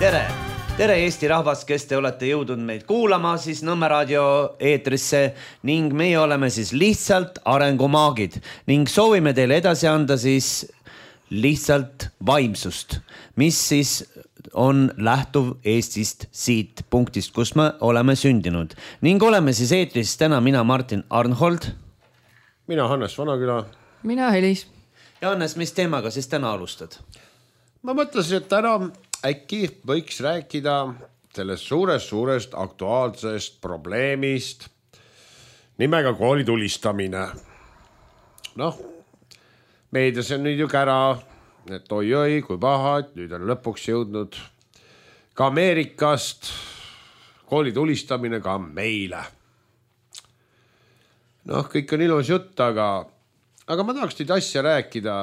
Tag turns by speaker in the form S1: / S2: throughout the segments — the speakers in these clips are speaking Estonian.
S1: Tere! Tere Eesti rahvas, kes te olete jõudnud meid kuulama siis Nõmme raadio eetrisse ning meie oleme siis lihtsalt arengumaagid ning soovime teile edasi anda siis lihtsalt vaimsust, mis siis on lähtuv Eestist siit punktist, kus me oleme sündinud ning oleme siis eetris täna mina Martin Arnhold.
S2: Mina Hannes Vanaküla.
S3: Mina Helis.
S1: Ja Hannes, mis teemaga siis täna alustad?
S2: Ma mõtlesin, et täna äkki võiks rääkida sellest suurest aktuaalsest probleemist nimega kooli tulistamine. Noh, meedias on nüüd ju kära, et oi, kui paha, et nüüd on lõpuks jõudnud ka Ameerikast kooli tulistamine ka meile. Noh, kõik on ilus jutt, aga ma tahaks teid asja rääkida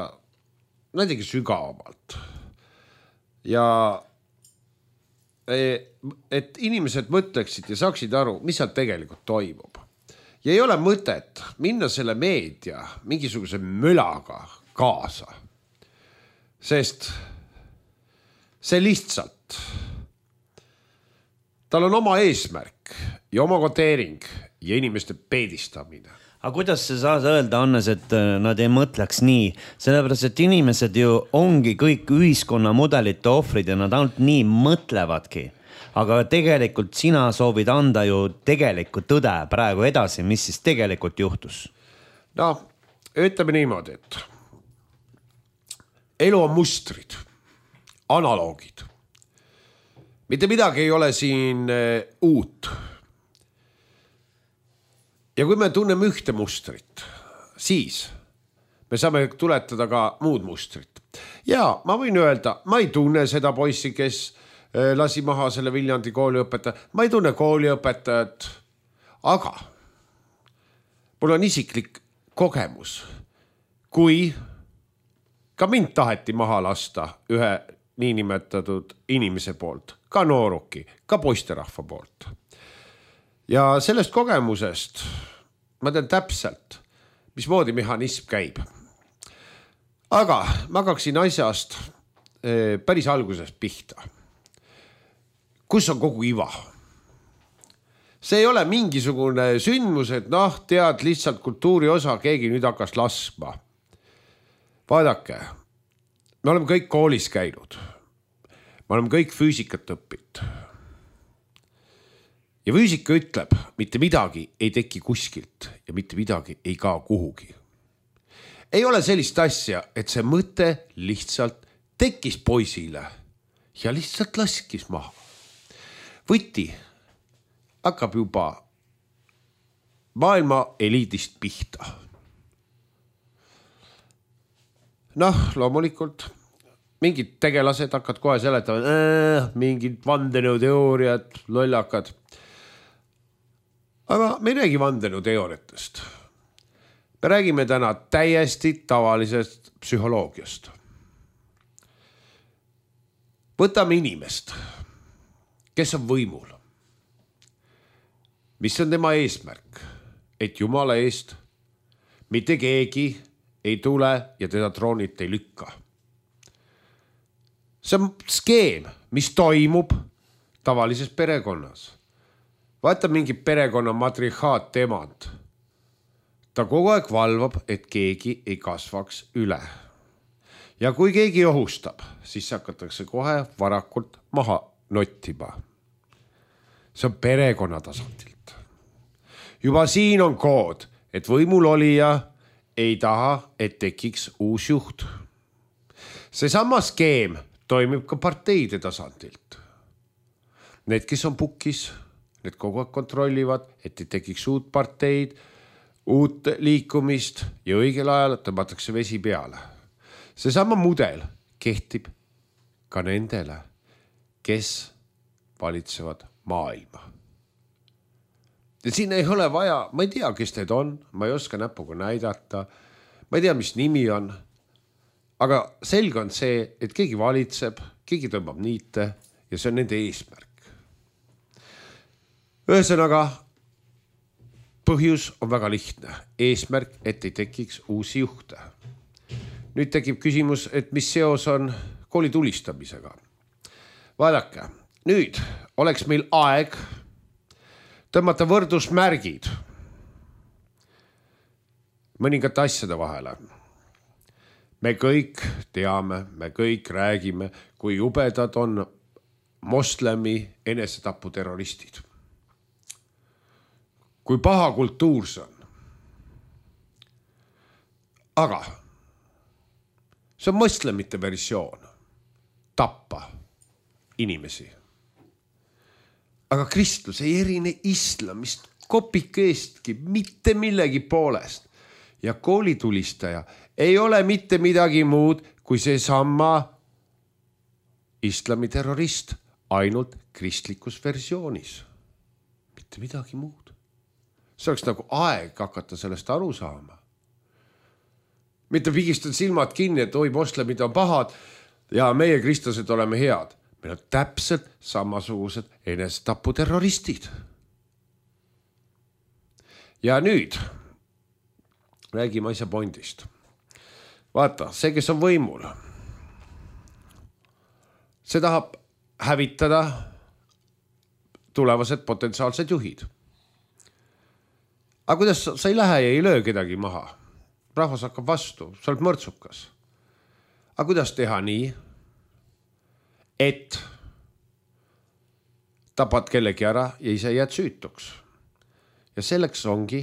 S2: näiteks sügavamalt. Ja et inimesed mõtleksid ja saaksid aru, mis seal tegelikult toimub. Ja ei ole mõtet minna selle meedia mingisuguse mülaga kaasa. Sest see lihtsalt, tal on oma eesmärk ja oma koteering ja inimeste peedistamine.
S1: Aga kuidas sa saad öelda, Hannes, et nad ei mõtleks nii? Sellepärast, et inimesed ju ongi kõik ühiskonna mudelite ohvrid ja nad ainult nii mõtlevadki. Aga tegelikult sina soovid anda ju tegelikku tõde praegu edasi, mis siis tegelikult juhtus?
S2: No, ütleme niimoodi, et elu on mustrid, analoogid. Mitte midagi ei ole siin uut. Ja kui me tunneme ühte mustrit, siis me saame tuletada ka muud mustrit. Ja ma võin öelda, ma ei tunne seda poissi, kes lasi maha selle Viljandi kooliõpetaja. Ma ei tunne kooliõpetajat, aga mul on isiklik kogemus, kui ka mind taheti maha lasta ühe niinimetatud inimese poolt, ka nooruki, ka poisterahva poolt. Ja sellest kogemusest ma tean täpselt, mismoodi mehhanism käib. Aga ma hakkaksin asjast päris algusest pihta. Kus on kogu iva? See ei ole mingisugune sündmus, et tead lihtsalt kultuuri osa, keegi nüüd hakkas laskma. Vaadake, me oleme kõik koolis käinud. Me oleme kõik füüsikat õppinud. Ja füüsika ütleb, mitte midagi ei teki kuskilt ja mitte midagi ei kao kuhugi. Ei ole sellist asja, et see mõte lihtsalt tekkis poisile ja lihtsalt laskis maha. Võti hakkab juba maailma eliidist pihta. Noh, loomulikult mingid tegelased hakkad kohe seletama, mingid vandenõuteooriad, lollakad. Aga me ei räägi vandenõuteooriatest. Me räägime täna täiesti tavalisest psühholoogiast. Võtame inimest, kes on võimul. Mis on tema eesmärk? Et Jumala eest mitte keegi ei tule ja teda troonilt ei lükka. See on skeem, mis toimub tavalises perekonnas. Vaata mingi perekonna matrihaat emand. Ta kogu aeg valvab, et keegi ei kasvaks üle. Ja kui keegi ohustab, siis hakatakse kohe varakult maha nottima. See on perekonna tasandilt. Juba siin on kood, et võimul olija ei taha, et tekiks uus juht. See sama skeem toimib ka parteide tasandilt. Need, kes on pukis, need kogu aeg kontrollivad, et ei tekiks uut parteid, uut liikumist ja õigel ajal tõmmatakse vesi peale. See sama mudel kehtib ka nendele, kes valitsevad maailma. Ja siin ei ole vaja, ma ei tea, kes need on, ma ei oska näpuga näidata, ma ei tea, mis nimi on, aga selge on see, et keegi valitseb, keegi tõmbab niite ja see on nende eesmärk. Ühesõnaga, põhjus on väga lihtne. Eesmärk, et ei tekiks uusi juhte. Nüüd tekib küsimus, et mis seos on kooli tulistamisega. Vaadake, nüüd oleks meil aeg tõmmata võrdusmärgid mõningate asjade vahele. Me kõik teame, me kõik räägime, kui jubedad on moslemi enesetaputerroristid. Kui paha kultuur see on. Aga see on moslemite versioon. Tappa inimesi. Aga kristlus ei erine islamist kopikeestki mitte millegi poolest. Ja koolitulistaja ei ole mitte midagi muud kui see sama islami terrorist ainult kristlikus versioonis. Mitte midagi muud. See oleks nagu aeg hakata sellest aru saama. Mitte pigistad silmad kinni, et oi, moslemid on pahad ja meie kristlased oleme head. Meil on täpselt samasugused enesetaputerroristid. Ja nüüd räägime asja pointist. Vaata, see, kes on võimul, see tahab hävitada tulevased potentsiaalsed juhid. Aga kuidas sa ei lähe ja ei löö kedagi maha? Rahvas hakkab vastu, sa oled mõrtsukas. Aga kuidas teha nii, et tapad kellegi ära ja ise jääd süütuks? Ja selleks ongi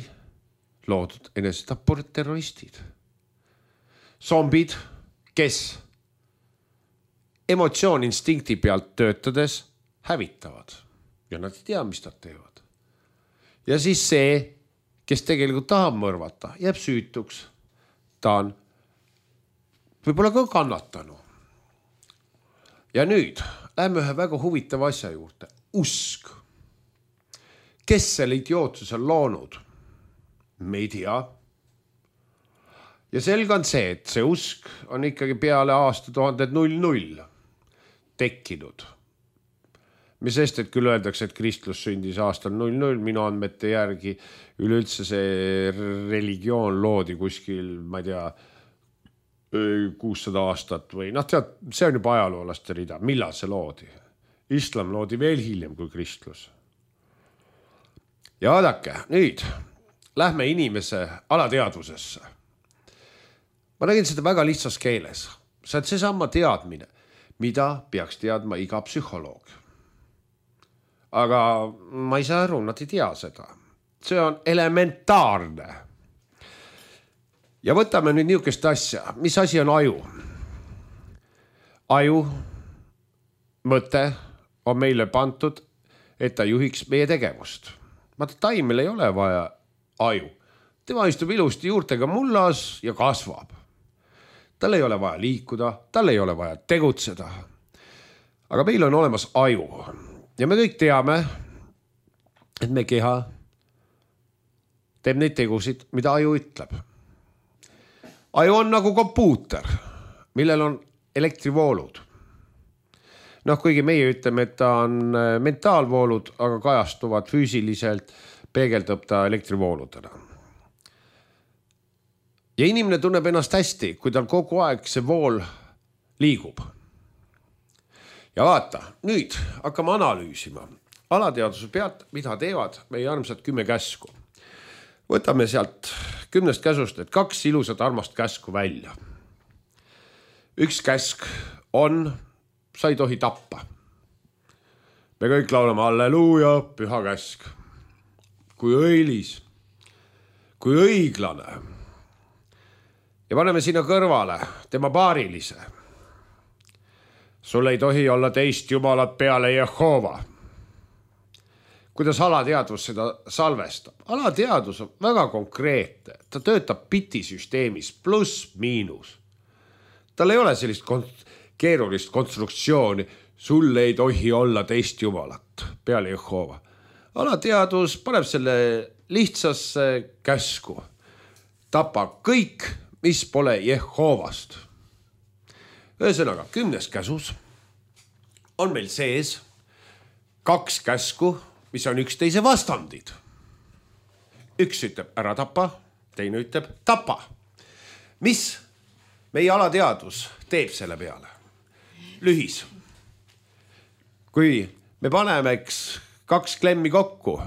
S2: loodud enesetaputerroristid. Zombid, kes emotsioon-instinkti pealt töötades hävitavad. Ja nad ei tea, mis nad teevad. Ja siis see, kes tegelikult tahab mõrvata, jääb süütuks. Ta on võib-olla ka kannatanu. Ja nüüd läheme ühe väga huvitava asja juurde. Usk. Kes selle idiootsuse on loonud? Me ei tea. Ja selge on see, et see usk on ikkagi peale aastatuhandet 00 tekkinud. Mis sest, et küll öeldakse, et kristlus sündis aastal 00, minu andmete järgi üleüldse see religioon loodi kuskil, ma ei tea, 600 aastat või tead, see on juba ajaloolaste rida. Millal see loodi? Islam loodi veel hiljem kui kristlus. Ja vaadake, nüüd lähme inimese alateadvusesse. Ma räägin seda väga lihtsas keeles. See on seesama teadmine, mida peaks teadma iga psühholoog. Aga ma ei saa aru, nad ei tea seda. See on elementaarne. Ja võtame nüüd niisugust asja. Mis asi on aju? Aju, mõte on meile pantud, et ta juhiks meie tegevust. Taimel ei ole vaja aju. Tema istub ilusti juurtega mullas ja kasvab. Tal ei ole vaja liikuda, tal ei ole vaja tegutseda. Aga meil on olemas aju. Ja me kõik teame, et me keha teeb neid tegusid, mida aju ütleb. Aju on nagu kompuuter, millel on elektrivoolud. Kuigi meie ütleme, et ta on mentaalvoolud, aga kajastuvad füüsiliselt, peegeldab ta elektrivooludena. Ja inimene tunneb ennast hästi, kui tal kogu aeg see vool liigub. Ja vaata, nüüd hakkame analüüsima alateaduse pealt, mida teevad meie armsad 10 käsku. Võtame sealt 10 käsust, et 2 ilusat armast käsku välja. Üks käsk on, sa ei tohi tappa. Me kõik laulame halleluuja, püha käsk. Kui õilis, kui õiglane. Ja paneme sinna kõrvale tema paarilise. Sul ei tohi olla teist jumalat peale Jehova. Kuidas alateadvus seda salvestab? Alateadvus on väga konkreetne. Ta töötab bitisüsteemis pluss miinus. Tal ei ole sellist keerulist konstruktsiooni. Sul ei tohi olla teist jumalat peale Jehova. Alateadvus paneb selle lihtsasse käsku. Tapa kõik, mis pole Jehovast. Ühesõnaga, 10 käsus on meil sees 2 käsku, mis on üksteise vastandid. Üks ütleb ära tapa, teine ütleb tapa. Mis meie alateadvus teeb selle peale? Lühis. kui me paneme kaks klemmi kokku,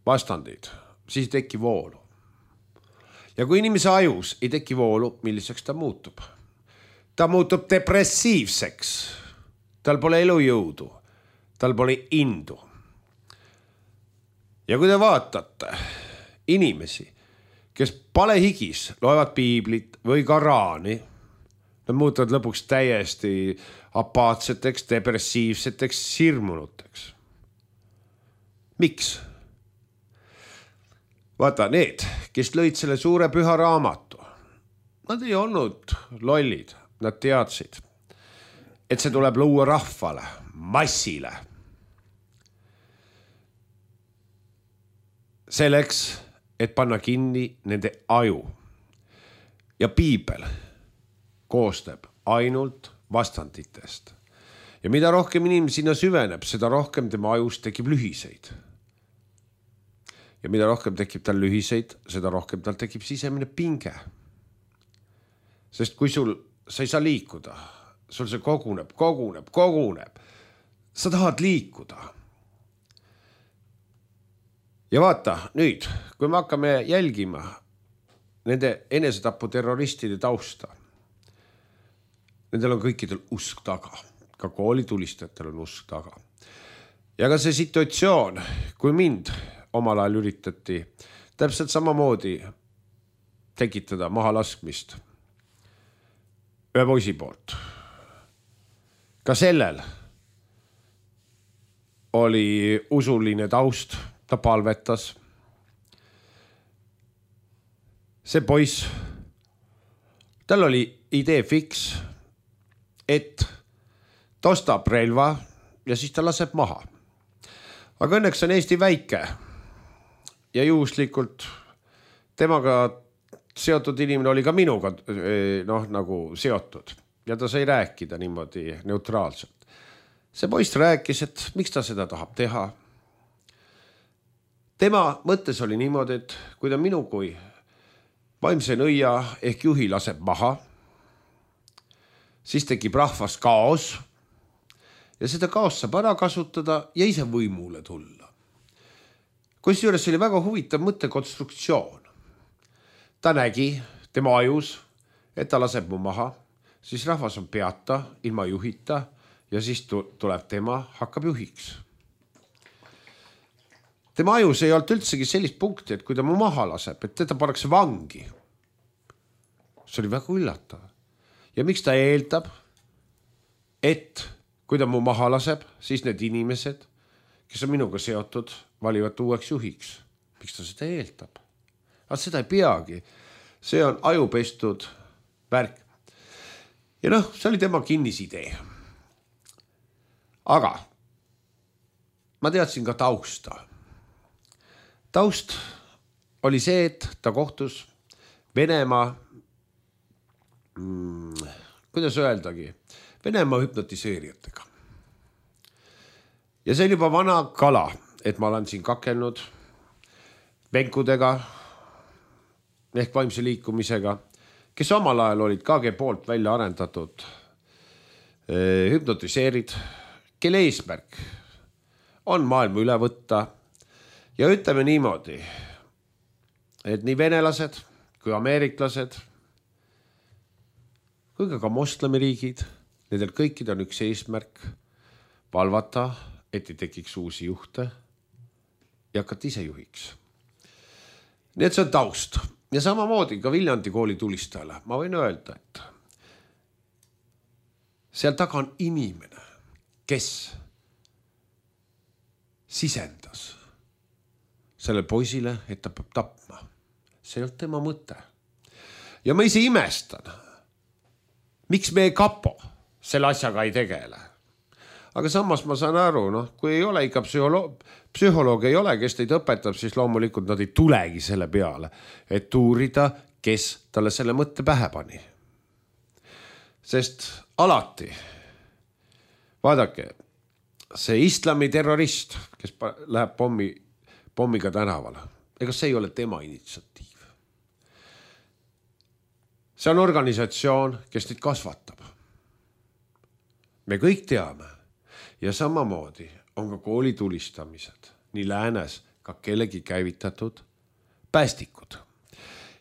S2: vastandid, siis ei teki voolu. Ja kui inimese ajus ei teki voolu, milliseks ta muutub? Ta muutub depressiivseks. Tal pole elujõudu. Tal pole indu. Ja kui te vaatate inimesi, kes palehigis loevad piiblit või Koraani, nad muutuvad lõpuks täiesti apaatseteks, depressiivseteks, sirmunuteks. Miks? Vaata, need, kes lõid selle suure püha raamatu, nad ei olnud lollid, nad teadsid, et see tuleb luua rahvale, massile. Selleks, et panna kinni nende aju. Ja piibel koostab ainult vastanditest. Ja mida rohkem inimene sinna süveneb, seda rohkem tema ajus tekib lühiseid. Ja mida rohkem tekib tal lühiseid, seda rohkem tal tekib sisemine pinge. Sest kui sa ei saa liikuda, sul see koguneb. Sa tahad liikuda. Ja vaata, nüüd, kui me hakkame jälgima nende enesetapu terroristide tausta, nendel on kõikidel usk taga. Ka koolitulistajatel on usk taga. Ja ka see situatsioon, kui mind omal ajal üritati täpselt samamoodi tekitada mahalaskmist ühe poisi poolt. Ka sellel oli usuline taust, ta palvetas. See poiss, tal oli idee fiks, et ta ostab relva ja siis ta laseb maha. Aga õnneks on Eesti väike ja juhuslikult temaga seotud inimene oli ka minuga nagu seotud ja ta sai rääkida niimoodi neutraalselt. See poiss rääkis, et miks ta seda tahab teha. Tema mõttes oli niimoodi, et kui ta minu kui vaimse nõia ehk juhi laseb maha, siis tekib rahvas kaos ja seda kaos saab ära kasutada ja ise võimule tulla. Kusjuures oli väga huvitav mõttekonstruktsioon. Ta nägi tema ajus, et ta laseb mu maha, siis rahvas on peata, ilma juhita ja siis tuleb tema, hakkab juhiks. Tema ajus ei olnud üldsegi sellist punkti, et kui ta mu maha laseb, et teda pannakse vangi. See oli väga üllatav. Ja miks ta eeldab, et kui ta mu maha laseb, siis need inimesed, kes on minuga seotud, valivad uueks juhiks. Miks ta seda eeldab? Aga seda ei peagi. See on ajupestud värk. Ja see oli tema kinnisidee. Aga ma teadsin ka tausta. Taust oli see, et ta kohtus Venemaa, kuidas öeldagi, Venemaa hüpnotiseerijatega. Ja see oli juba vana kala, et ma olen siin kakelnud venkudega ehk vaimse liikumisega, kes omal ajal olid KG poolt välja arendatud hüpnotiseerid, kelle eesmärk on maailma üle võtta ja ütleme niimoodi, et nii venelased kui ameeriklased kui ka moslemiriigid, nendel kõikid on üks eesmärk valvata, et ei tekiks uusi juhte ja hakata ise juhiks. Nii et see on taust. Ja samamoodi ka Viljandi kooli tulistajale. Ma võin öelda, et seal taga on inimene, kes sisendas selle poisile, et ta peab tapma. See ei olnud tema mõte. Ja ma ise imestan, miks meie kapo selle asjaga ei tegele. Aga samas ma saan aru, kui ei ole ikka psühholoog ei ole, kes teid õpetab, siis loomulikult nad ei tulegi selle peale, et uurida, kes talle selle mõtte pähe pani. Sest alati, vaadake, see islami terrorist, kes läheb pommiga tänavale, ega see ei ole tema initsiatiiv. See on organisatsioon, kes teid kasvatab. Me kõik teame, ja samamoodi on ka koolitulistamised nii läänes ka kellegi käivitatud päästikud.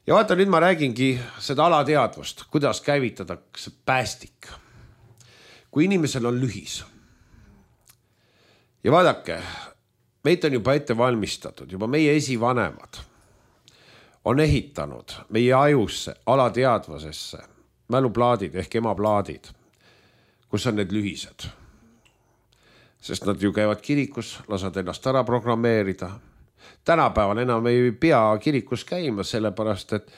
S2: Ja vaata, nüüd ma räägingi seda alateadvust, kuidas käivitatakse päästik. Kui inimesel on lühis. Ja vaadake, meid on juba ette valmistatud, juba meie esivanemad on ehitanud meie ajusse, alateadvusesse mäluplaadid ehk emaplaadid, kus on need lühised. Sest nad ju käivad kirikus, lasad ennast ära programmeerida. Tänapäeval enam ei pea kirikus käima, sellepärast, et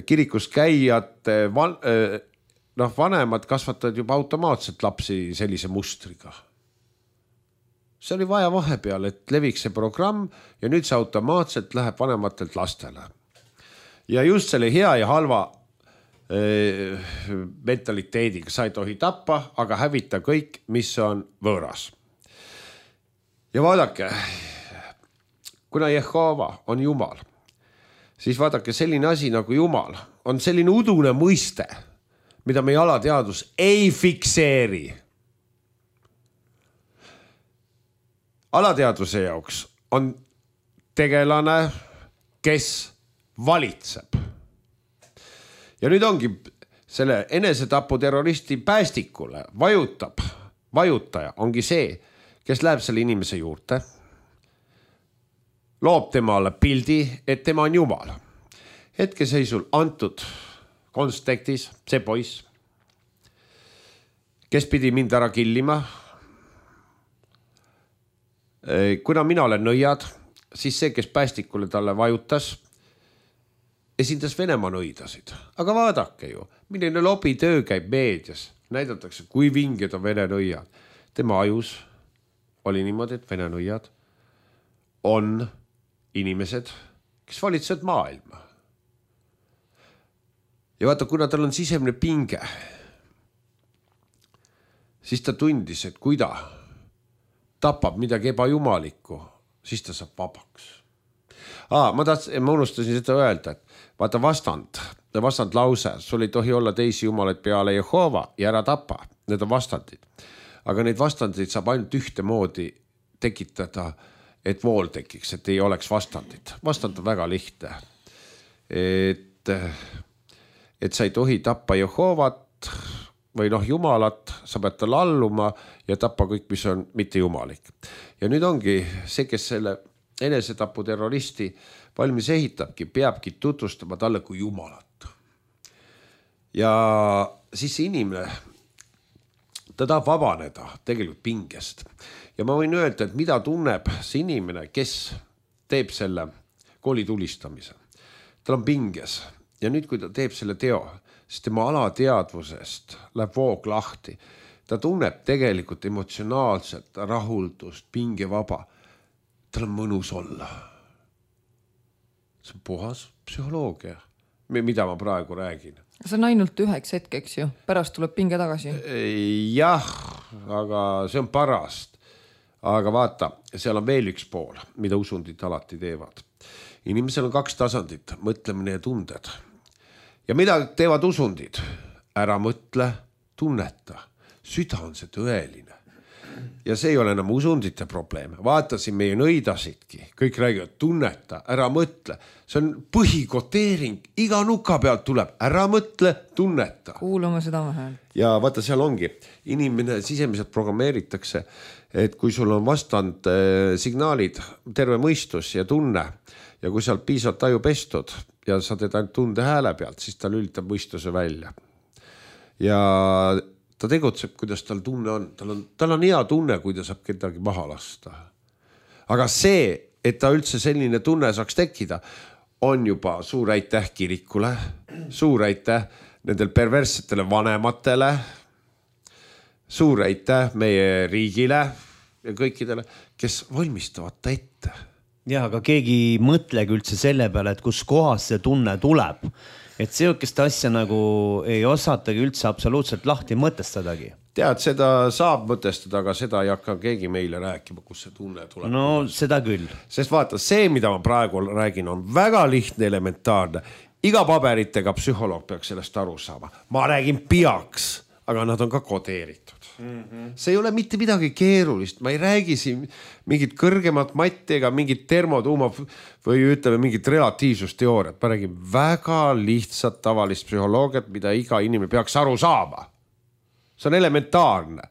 S2: kirikus käijate vanemad kasvatavad juba automaatselt lapsi sellise mustriga. See oli vaja vahepeal, et leviks see programm ja nüüd see automaatselt läheb vanematelt lastele. Ja just selle hea ja halva mentaliteediga sa ei tohi tappa, aga hävita kõik, mis on võõras. Ja vaadake, kuna Jehova on Jumal, siis vaadake, selline asi nagu Jumal on selline udune mõiste, mida meie alateadus ei fikseeri. Alateadvuse jaoks on tegelane, kes valitseb. Ja nüüd ongi selle enesetapu terroristi päästikule vajutaja ongi see, kes läheb selle inimese juurde, loob temale pildi, et tema on Jumal. Hetkeseisul antud kontekstis see poiss, kes pidi mind ära killima. Kuna mina olen nõiad, siis see, kes päästikule talle vajutas, esindas Venemaa nõidasid. Aga vaadake ju, milline lobitöö käib meedias. Näidatakse, kui vinged on Vene nõiad. Tema ajus oli niimoodi, et Vene nõiad on inimesed, kes valitsevad maailma. Ja vaata, kuna tal on sisemine pinge, siis ta tundis, et kui ta tapab midagi ebajumalikku, siis ta saab vabaks. Ma unustasin seda öelda, et vaata vastand lause, sul ei tohi olla teisi jumalaid peale Jehova ja ära tapa. Need on vastandid. Aga neid vastandid saab ainult ühte moodi tekitada, et vool tekiks, et ei oleks vastandid. Vastand on väga lihtne. Et sa ei tohi tappa Jehovat või Jumalat, sa pead talle alluma ja tappa kõik, mis on mitte jumalik. Ja nüüd ongi see, kes selle enesetapu terroristi valmis ehitabki, peabki tutvustama talle kui Jumalat. Ja siis see inimene, ta tahab vabaneda tegelikult pingest. Ja ma võin öelda, et mida tunneb see inimene, kes teeb selle koolitulistamise. Tal on pinges ja nüüd, kui ta teeb selle teo, siis tema alateadvusest läheb voog lahti. Ta tunneb tegelikult emotsionaalselt rahuldust, pingevaba. Tal on mõnus olla. See on puhas psühholoogia, mida ma praegu räägin.
S3: See on ainult üheks hetkeks ju, pärast tuleb pinge tagasi.
S2: Jah, aga see on pärast. Aga vaata, seal on veel üks pool, mida usundid alati teevad. Inimesel on 2 tasandit, mõtlemine ja tunded. Ja mida teevad usundid? Ära mõtle, tunneta. Süda on see tõeline. Ja see ei ole enam usundite probleem. Vaatasin meie nõidasidki. Kõik räägivad, tunneta, ära mõtle. See on põhikoteering. Iga nuka pealt tuleb. Ära mõtle, tunneta.
S3: Kuulame seda häält.
S2: Ja vaata, seal ongi. Inimene sisemiselt programmeeritakse, et kui sul on vastand signaalid, terve mõistus ja tunne, ja kui seal piisavalt taju pestud ja sa teed ainult tunde hääle pealt, siis ta lülitab mõistuse välja. Ja ta tegutseb, kuidas tal tunne on. Tal on hea tunne, kui ta saab kedagi maha lasta. Aga see, et ta üldse selline tunne saaks tekkida, on juba suur aitäh kirikule, suur aitäh nendel perverssetele vanematele, suur aitäh meie riigile ja kõikidele, kes valmistavad ta ette.
S1: Ja, aga keegi ei mõtlegi üldse selle peale, et kus kohas see tunne tuleb. Et sellist asja nagu ei osatagi üldse absoluutselt lahti mõtestadagi.
S2: Tead, seda saab mõtestada, aga seda ei hakka keegi meile rääkima, kus see tunne tuleb.
S1: No seda küll.
S2: Sest vaata, see, mida ma praegu räägin, on väga lihtne, elementaarne. Iga paberitega psühholoog peaks sellest aru saama. Ma räägin peaks, aga nad on ka kodeeritud. See ei ole mitte midagi keerulist, ma ei räägi siin mingit kõrgemat matti ega mingit termotuuma või ütleme mingit relatiivsusteooriat. Ma räägin väga lihtsat tavalist psühholoogiat, mida iga inimene peaks aru saama. See on elementaarne.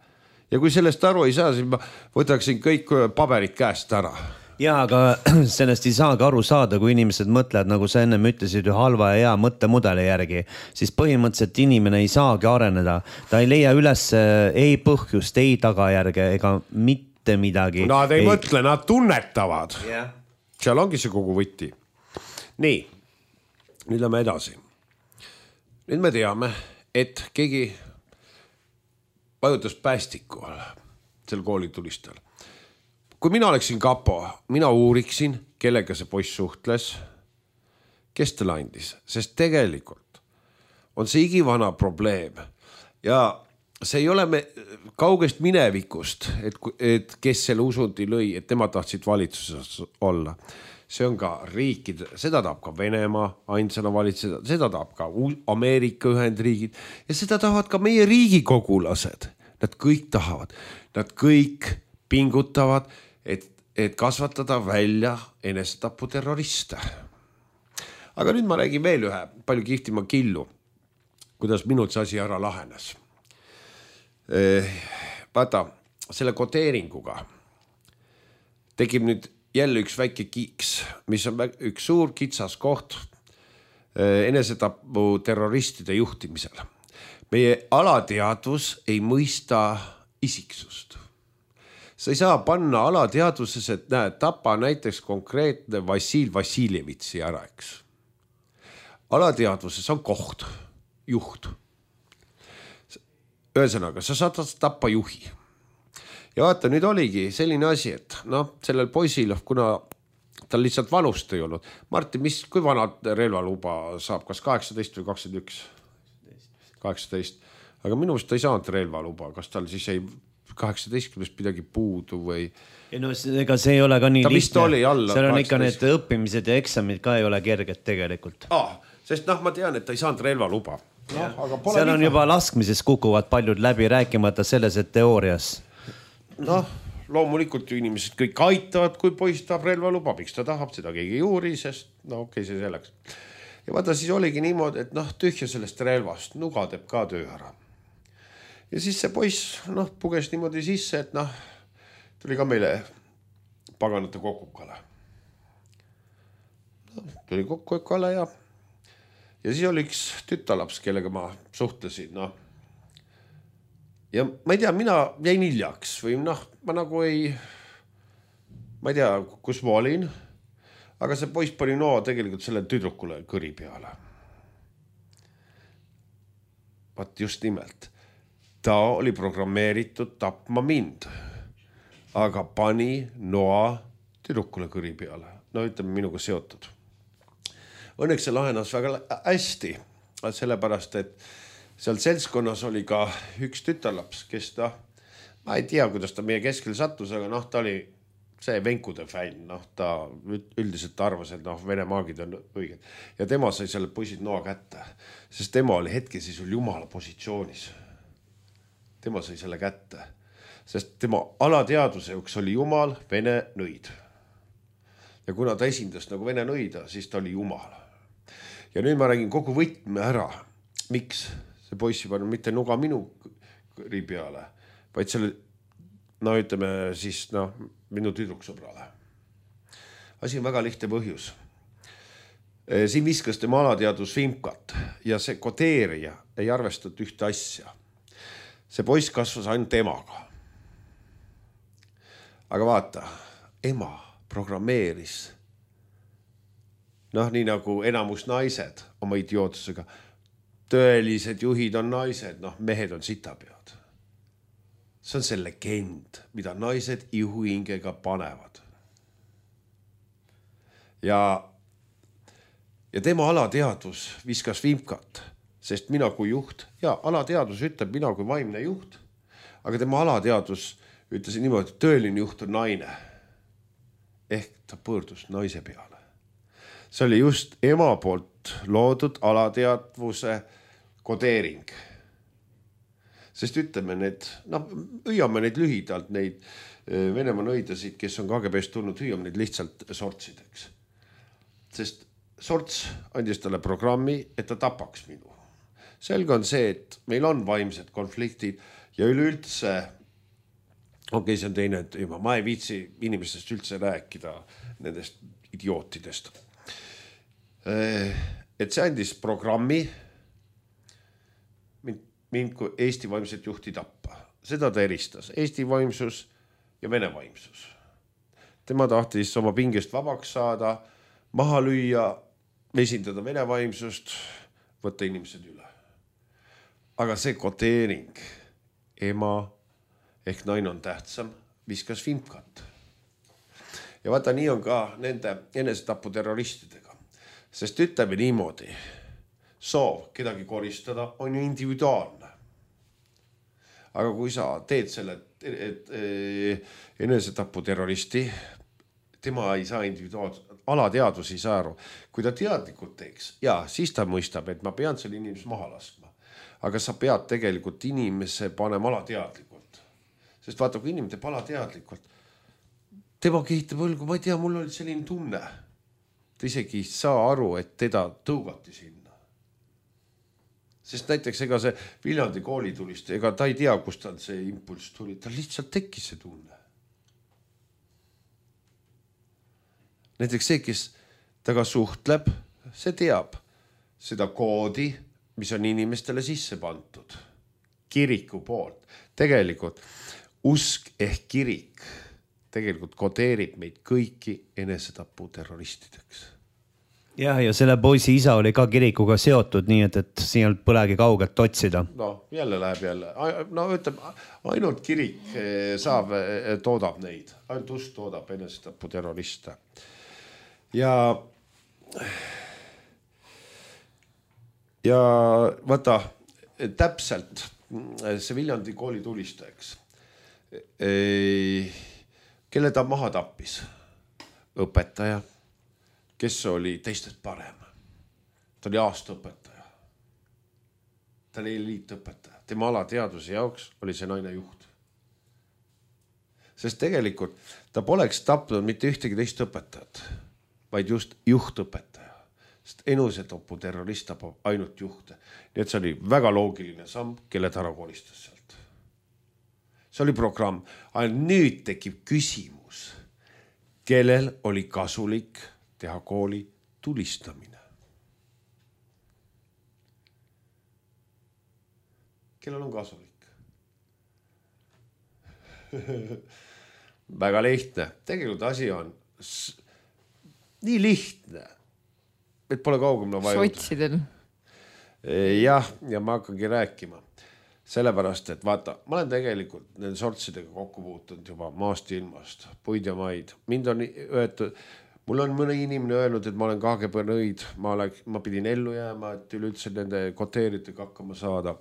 S2: Ja kui sellest aru ei saa, siis ma võtaksin kõik paberid käest ära.
S1: Ja, aga sellest ei saagi aru saada, kui inimesed mõtlevad, nagu sa ennem ütlesid, halva ja hea mõttemudeli järgi, siis põhimõtteliselt inimene ei saagi areneda. Ta ei leia üles ei põhjust, ei tagajärge ega mitte midagi.
S2: Nad ei mõtle, nad tunnetavad.
S1: Yeah.
S2: Seal ongi see kogu võti. Nii, nüüd lähme edasi. Nüüd me teame, et keegi vajutas päästiku sel koolitulistel. Kui mina oleksin kapo, mina uuriksin, kellega see poiss suhtles, kes talle andis, sest tegelikult on see igivana probleem ja see ei ole kaugest minevikust, et kes selle usundi lõi, et tema tahtsid valitsuses olla. See on ka riikide, seda tahab ka Venemaa ainsana valitseda, seda tahab ka Ameerika Ühendriigid ja seda tahavad ka meie riigikogulased. Nad kõik tahavad, nad kõik pingutavad, et kasvatada välja enesetapu terroriste. Aga nüüd ma räägin veel ühe palju kihtima killu, kuidas minult see asi ära lahenes. Vaata, selle kodeeringuga tekib nüüd jälle üks väike kiiks, mis on üks suur kitsas koht enesetapu terroristide juhtimisel. Meie alateadvus ei mõista isiksust. Sa ei saa panna alateadvuses, et näed, tapa näiteks konkreetne Vassil Vassiljevitsi ära, eks. Alateadvuses on koht, juht. Ühesõnaga, sa saad tappa juhi. Ja vaata, nüüd oligi selline asi, et sellel poisil, kuna tal lihtsalt vanust ei olnud. Martin, kui vana relvaluba saab, kas 18 või 21? 18. Aga minu meelest ta ei saanud relvaluba, kas tal siis ei 18 midagi puudu või...
S1: No, ega see ei ole ka nii lihtne. Seal on
S2: 18.
S1: ikka need õppimised ja eksamid ka ei ole kerged tegelikult.
S2: Sest ma tean, et ta ei saanud relvaluba.
S1: Seal on juba laskmises kukuvad paljud läbi rääkimata selles, et teoorias.
S2: Loomulikult ju inimesed kõik aitavad, kui poiss tahab relvaluba, miks ta tahab, seda keegi ei uuri, sest okei, see selleks. Ja vaata, siis oligi niimoodi, et tühja sellest relvast, nuga teeb ka töö ära. Ja siis see poiss puges niimoodi sisse, et tuli ka meile paganate kokukale. Tuli kokukale ja siis oli üks tütalaps, kellega ma suhtlesin. Ja ma ei tea, mina jäin hiljaks või ma nagu ma ei tea, kus ma olin, aga see poiss pani tegelikult selle tüdrukule kõri peale. Vaat just nimelt. Ta oli programmeeritud tapma mind, aga pani noa tüdrukule kõri peale. Ütleme minuga seotud. Õnneks see lahenas väga hästi, sellepärast, et seal seltskonnas oli ka üks tütarlaps, kes ma ei tea, kuidas ta meie keskel sattus, aga ta oli see venkude fänn. Ta üldiselt arvas, et Vene maagid on õiged. Ja tema sai selle poisid noa kätte, sest tema oli hetkesisul jumala positsioonis. Tema sai selle kätte, sest tema alateadvuse üks oli jumal, Vene nõid. Ja kuna ta esindas nagu Vene nõida, siis ta oli jumal. Ja nüüd ma räägin kogu võtme ära. Miks see poissi pani mitte nuga minu kõri peale, vaid selle, ütleme siis, minu tüdruksõbrale. Asi on väga lihtne põhjus. Siin viskas tema alateadvus vimkat ja see kodeerija ei arvestatud ühte asja. See poiss kasvas ainult emaga. Aga vaata, ema programmeeris, nii nagu enamus naised oma idiootsusega, tõelised juhid on naised, mehed on sitapead. See on see legend, mida naised ihuhingega panevad. Ja tema alateadvus viskas vimkat, sest mina kui juht, ja alateadvus ütleb mina kui vaimne juht, aga tema alateadvus ütles niimoodi, et tõeline juht on naine. Ehk ta pöördus naise peale. See oli just ema poolt loodud alateadvuse kodeering. Sest ütleme need, hüüame neid lühidalt, neid Venemaa nõidasid, kes on KGB-st tulnud, hüüame neid lihtsalt sortsideks. Sest sorts andis talle programmi, et ta tapaks minu. Selge on see, et meil on vaimsed konfliktid ja üleüldse, see on teine teema, ma ei viitsi inimestest üldse rääkida nendest idiootidest. Et see andis programmi mind kui Eesti vaimset juhti tappa. Seda ta eristas. Eesti vaimsus ja Vene vaimsus. Tema tahtis oma pingest vabaks saada, maha lüüa, esindada Vene vaimsust, võtta inimesed üle. Aga see koteering, ema ehk naine on tähtsam, viskas vimkat. Ja vaata, nii on ka nende enesetapu terroristidega. Sest ütleme niimoodi, soov kedagi koristada on ju individuaalne. Aga kui sa teed selle enesetapu terroristi, tema ei saa alateadvus ei saa aru. Kui ta teadlikult teeks, siis ta mõistab, et ma pean selle inimese maha laskma. Aga sa pead tegelikult inimese panema alateadlikult. Sest vaata, kui inimene teeb alateadlikult, tema kehitab õlgu, ma ei tea, mul oli selline tunne. Ta isegi ei saa aru, et teda tõugati sinna. Sest näiteks ega see Viljandi koolitulist, ega ta ei tea, kust tal see impulss tuli, ta lihtsalt tekkis see tunne. Näiteks see, kes taga suhtleb, see teab seda koodi, mis on inimestele sisse pandud. Kiriku poolt. Tegelikult usk ehk kirik tegelikult kodeerib meid kõiki enesetapu terroristideks.
S1: Ja selle poisi isa oli ka kirikuga seotud, nii et siin on põlegi kaugelt otsida.
S2: Jälle läheb jälle. Ütleme, ainult kirik toodab neid. Ainult usk toodab enesetapu terroriste. Ja vaata, täpselt see Viljandi kooli tulistajaks, kelle ta maha tappis? Õpetaja, kes oli teistest parem. Ta oli aastaõpetaja. Ta oli eliitõpetaja. Tema alateadvuse jaoks oli see naine juht. Sest tegelikult ta poleks tapnud mitte ühtegi teist õpetajat, vaid just juhtõpetaja. Sest enesetapu terrorist tapab ainult juhte. Nii et see oli väga loogiline samm, kelle ta ära kolistas sealt. See oli programm. Aga nüüd tekib küsimus, kellel oli kasulik teha kooli tulistamine. Kellel on kasulik? Väga lihtne. Tegelikult asi on nii lihtne, et pole kaugemale vajuda.
S3: Sotsidel.
S2: Ja ma hakkangi rääkima. Sellepärast, et vaata, ma olen tegelikult nende sortsidega kokku puutunud juba maast ilmast, puid ja maid. Mind on öeldud, mul on mõne inimene öelnud, et ma olen KGB nõid, ma pidin ellu jääma, et üleüldse nende koteeritega hakkama saada.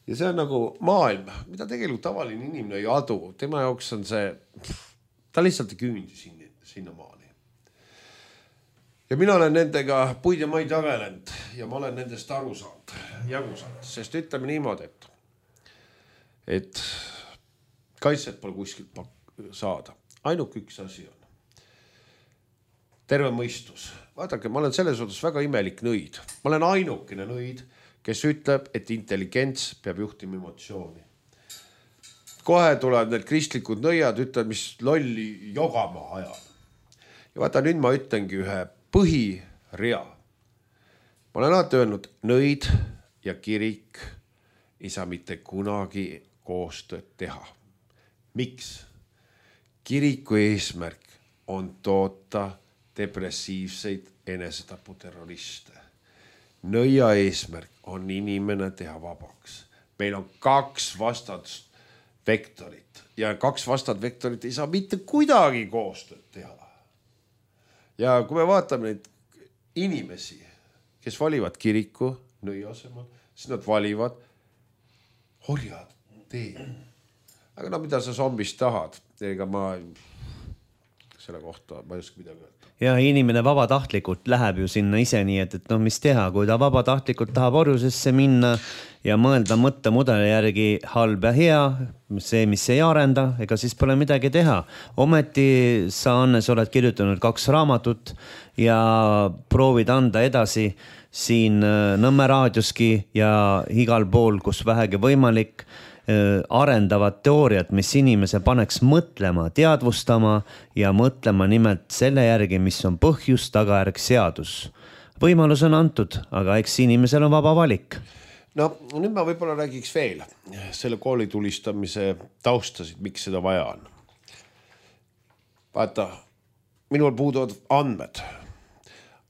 S2: Ja see on nagu maailm, mida tegelikult tavaline inimene ei adu. Tema jaoks on see, ta lihtsalt ei küündi sinna maani. Ja mina olen nendega puid ja maid jagelenud ja ma olen nendest aru saanud, jagu saanud, sest ütleme niimoodi, et kaitset pole kuskilt saada. Ainult üks asi on. Terve mõistus. Vaadake, ma olen selles otsas väga imelik nõid. Ma olen ainukene nõid, kes ütleb, et intelligents peab juhtima emotsiooni. Kohe tulevad need kristlikud nõiad, ütlevad, mis lolli jogama ajal. Ja vaata, nüüd ma ütlengi ühe põhirea. Ma olen alati öelnud, nõid ja kirik ei saa mitte kunagi koostööd teha. Miks? Kiriku eesmärk on toota depressiivseid enesetapu terroriste. Nõia eesmärk on inimene teha vabaks. Meil on 2 vastast vektorit ja 2 vastad vektorit ei saa mitte kuidagi koostööd teha. Ja kui me vaatame neid inimesi, kes valivad kiriku nõia asemel, siis nad valivad orjad tee. Aga mida sa zombist tahad? Ega ma selle kohta ma ei oska midagi öelda.
S1: Ja inimene vabatahtlikult läheb ju sinna ise nii, et no mis teha, kui ta vabatahtlikult tahab orjusesse minna ja mõelda mõttemudeli järgi halb ja hea, see, mis ei arenda, ega siis pole midagi teha. Ometi sa, Annes, oled kirjutanud 2 raamatut ja proovid anda edasi siin Nõmme raadioski ja igal pool, kus vähegi võimalik, arendavad teooriad, mis inimese paneks mõtlema, teadvustama ja mõtlema nimelt selle järgi, mis on põhjus, tagajärg, seadus. Võimalus on antud, aga eks inimesel on vaba valik.
S2: No nüüd ma võib-olla räägiks veel selle kooli tulistamise taustasid, miks seda vaja on. Vaata, minul puuduvad andmed,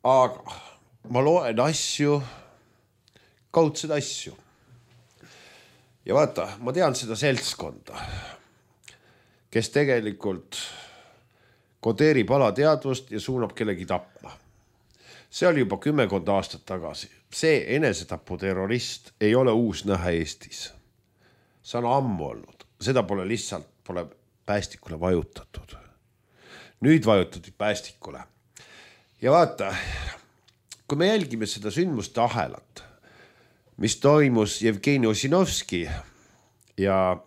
S2: aga ma loen asju, kaudsed asju. Ja vaata, ma tean seda seltskonda, kes tegelikult kodeerib alateadvust ja suunab kellegi tapma. See oli juba 10 aastat tagasi. See enesetapu terrorist ei ole uus näha Eestis. See on ammu olnud. Seda pole päästikule vajutatud. Nüüd vajutatud päästikule. Ja vaata, kui me jälgime seda sündmuste ahelat, mis toimus Jevgeni Ossinovski ja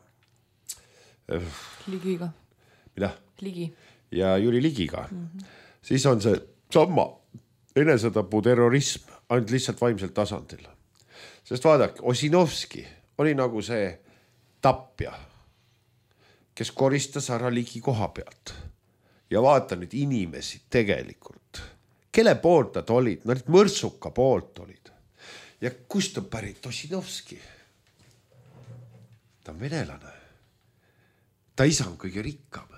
S3: Ligiga.
S2: Mida?
S3: Ligi.
S2: Ja Jüri Ligiga. Siis on see sama enesetapu terrorism ainult lihtsalt vaimselt tasandil. Sest vaadake, Ossinovski oli nagu see tapja, kes koristas ära Ligi koha pealt. Ja vaata nüüd inimesi tegelikult. Kelle poolt nad olid? Nad mõrsuka poolt olid. Ja kust on pärit Ossinovski? Ta on venelane. Ta isa on kõige rikkam.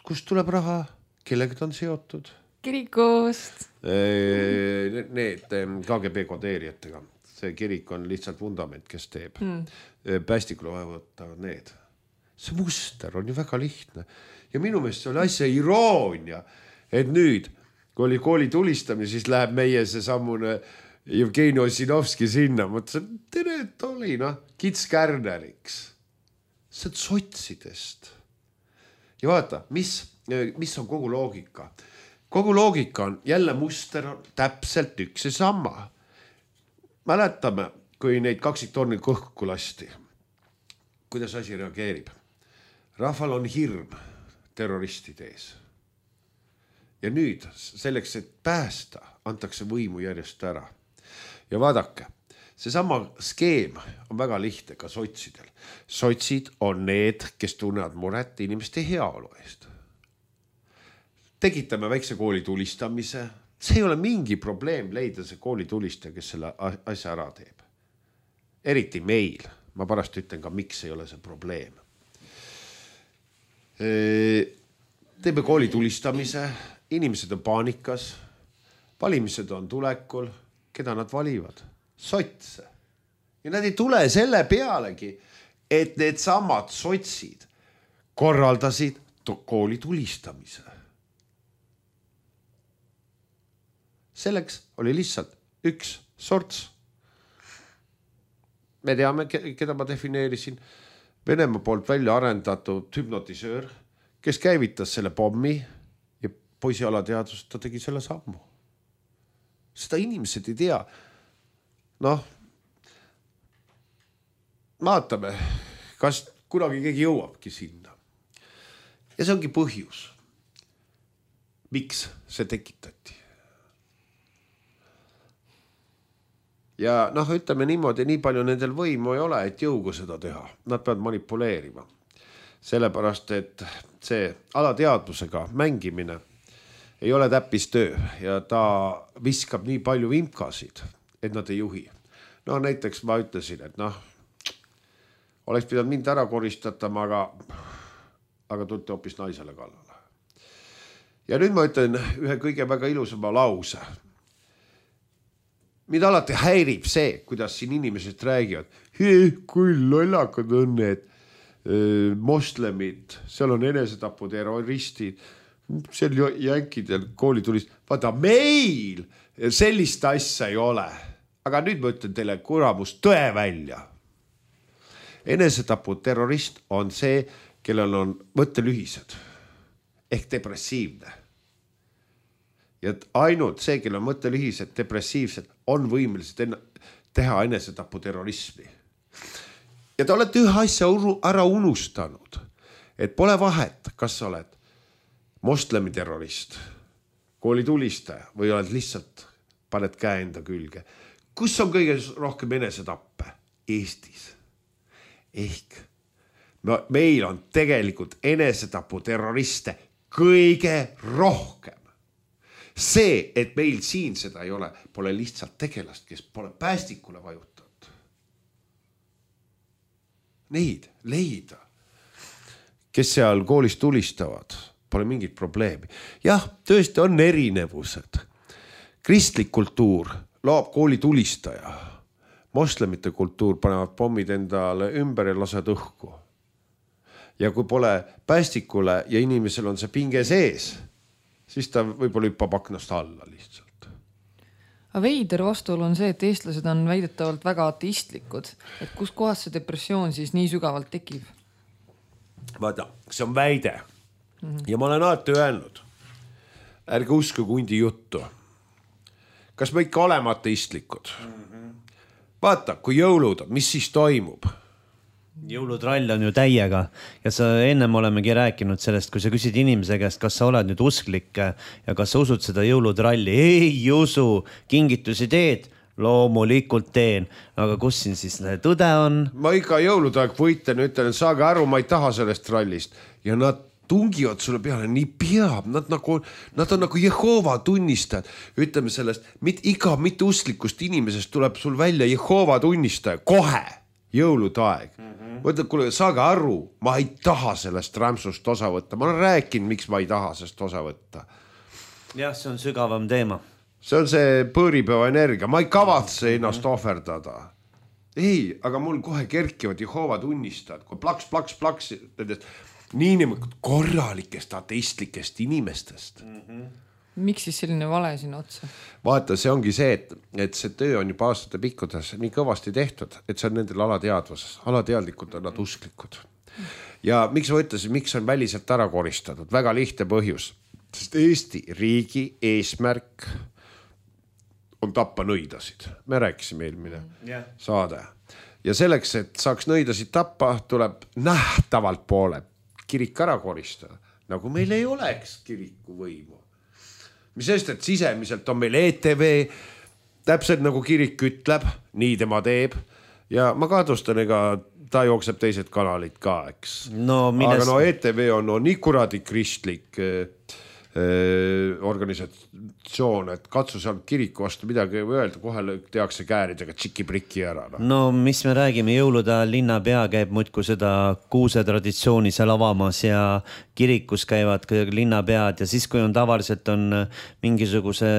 S2: Kust tuleb raha? Kellega ta on seotud?
S3: Kirikust.
S2: Need KGB kodeerijatega. See kirik on lihtsalt vundament, kes teeb. Päästikule vaja võtta need. See muster on ju väga lihtne. Ja minu meelest see oli asja iroonia, et nüüd, kui oli kooli tulistamine, siis läheb meie see sammune Jevgeni Ossinovski sinna. Mõtlesin, tere, et oli, kits kärneriks. See on sotsidest. Ja vaata, mis on kogu loogika? Kogu loogika on jälle muster on täpselt üks ja sama. Mäletame, kui neid kaksiktorni kõhku lasti. Kuidas asi reageerib? Rahval on hirm terroristide ees. Ja nüüd selleks, et päästa, antakse võimu järjest ära. Ja vaadake, seesama skeem on väga lihtne ka sotsidel. Sotsid on need, kes tunnevad muret inimeste heaolu eest. Tegitame väikse kooli tulistamise. See ei ole mingi probleem leida see kooli tulistaja, kes selle asja ära teeb. Eriti meil. Ma pärast ütlen ka, miks ei ole see probleem. Teeme kooli tulistamise. Inimesed on paanikas, valimised on tulekul, keda nad valivad? Sotse. Ja nad ei tule selle pealegi, et need samad sotsid korraldasid kooli tulistamise. Selleks oli lihtsalt üks sorts. Me teame, keda ma defineerisin. Venemaa poolt välja arendatud hüpnotisöör, kes käivitas selle pommi ja poisi alateadvust, ta tegi selle sammu. Seda inimesed ei tea. Vaatame, kas kunagi keegi jõuabki sinna. Ja see ongi põhjus, miks see tekitati. Ja ütleme niimoodi, nii palju nendel võimu ei ole, et jõugu seda teha. Nad peavad manipuleerima. Sellepärast, et see alateadvusega mängimine ei ole täppistöö ja ta viskab nii palju vimkasid, et nad ei juhi. Näiteks ma ütlesin, et oleks pidanud mind ära koristatama, aga tulite hoopis naisele kallale. Ja nüüd ma ütlen ühe kõige väga ilusama lause. Mida alati häirib see, kuidas siin inimesed räägivad. Kui lollakad on need moslemid, seal on enesetapu terroristid, seal jänkidel kooli tulist. Vaata, meil sellist asja ei ole. Aga nüüd ma ütlen teile kuramus tõe välja. Enesetapu terrorist on see, kellel on mõttelühised. ehk depressiivne. Ja ainult see, kelle mõttelühised depressiivsed, on võimelised teha enesetaputerrorismi. Ja te olete ühe asja ära unustanud, et pole vahet, kas sa oled moslemiterrorist, koolitulistaja või oled lihtsalt, paned käe enda külge. Kus on kõige rohkem enesetappe? Eestis. Ehk meil on tegelikult enesetaputerroriste kõige rohkem. See, et meil siin seda ei ole, pole lihtsalt tegelast, kes pole päästikule vajutanud. Neid leida, kes seal koolis tulistavad, pole mingit probleemi. Jah, tõesti on erinevused. Kristlik kultuur loob kooli tulistaja. Moslemite kultuur panevad pommid endale ümber ja lased õhku. Ja kui pole päästikule ja inimesel on see pinge sees, siis ta võib-olla hüppab aknast alla lihtsalt.
S3: Aga veider vastuolu on see, et eestlased on väidetavalt väga ateistlikud. Et kus kohas see depressioon siis nii sügavalt tekib?
S2: Vaata, see on väide. Ja ma olen alati öelnud, ärge usku kundi juttu. Kas me ikka oleme ateistlikud? Vaata, kui jõulud on, mis siis toimub?
S1: Jõulutrall on ju täiega ja sa ennem olemegi rääkinud sellest, kui sa küsid inimese käest, kas sa oled nüüd usklik ja kas sa usud seda jõulutralli. Ei usu, kingitusi teed, loomulikult teen. Aga kus siin siis tõde on?
S2: Ma ikka jõulutaeg võiten, ütlen, et saage aru, ma ei taha sellest trallist. Ja nad tungivad sulle peale, nii peab. Nad on nagu Jehova tunnistajad. Ütleme sellest, iga mitte usklikust inimesest tuleb sul välja Jehova tunnistaja. Kohe jõulutaeg. Mõtled, kuule, saage aru, ma ei taha sellest rämsust osa võtta. Ma olen rääkinud, miks ma ei taha sellest osa võtta.
S1: Jah, see on sügavam teema.
S2: See on see põõripäeva energia. Ma ei kavatse ennast ohverdada. Ei, aga mul kohe kerkivad Jehova tunnistajad. Kui plaks, niinimelt korralikest ateistlikest inimestest.
S3: Miks siis selline vale sinna otsa?
S2: Vaata, see ongi see, et see töö on juba aastate pikkudes nii kõvasti tehtud, et see on nendel alateadvuses. Alateadlikud on nad usklikud. Ja miks ma ütlesin, miks on väliselt ära koristatud? Väga lihtne põhjus. Sest Eesti riigi eesmärk on tappa nõidasid. Me rääkisime eelmine saade. Ja selleks, et saaks nõidasid tappa, tuleb nähtavalt poole kirik ära koristada. Nagu meil ei oleks kiriku võimu. Mis sest, et sisemiselt on meil ETV, täpselt nagu kirik ütleb, nii tema teeb. Ja ma kahtlustan, ega ta jookseb teised kanalid ka, eks. Aga ETV on nii kuradi kristlik organisatsioon, et katsu seal kiriku vastu midagi öelda, kohe tehakse kääridega tšiki-priki ära.
S1: No mis me räägime, jõulude linnapea käib muidku seda kuuse traditsiooni seal avamas ja kirikus käivad linnapead ja siis, kui on tavaliselt on mingisuguse,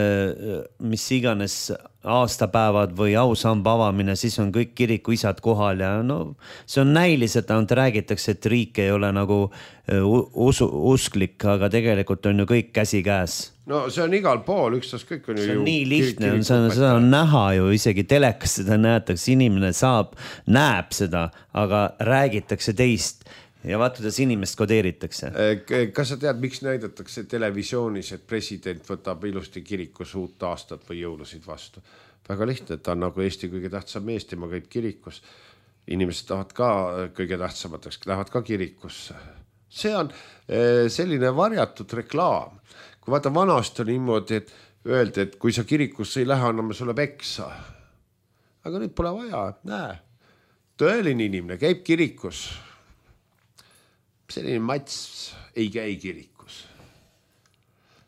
S1: mis iganes aastapäevad või ausamba avamine, siis on kõik kiriku isad kohal ja no see on näiliselt, räägitakse, et riik ei ole nagu usklik, aga tegelikult on ju kõik käsi käes.
S2: No see on igal pool, ükstaas kõik on ju.
S1: See on nii lihtne, seda on näha ju, isegi telekas seda näetakse, inimene näeb seda, aga räägitakse teist. Ja vaata, kuidas inimest kodeeritakse.
S2: Kas sa tead, miks näidatakse televisioonis, et president võtab ilusti kirikus uut aastat või jõulusid vastu? Väga lihtne, et ta on nagu Eesti kõige tähtsam mees, tema käib kirikus. Inimesed tahavad ka kõige tähtsamateks, lähevad ka kirikusse. See on selline varjatud reklaam. Kui vaata vanast on niimoodi, et öeldi, et kui sa kirikusse ei lähe, anname sulle peksa. Aga nüüd pole vaja, näe. Tõeline inimene käib kirikus. Selline Mats ei käi kirikus.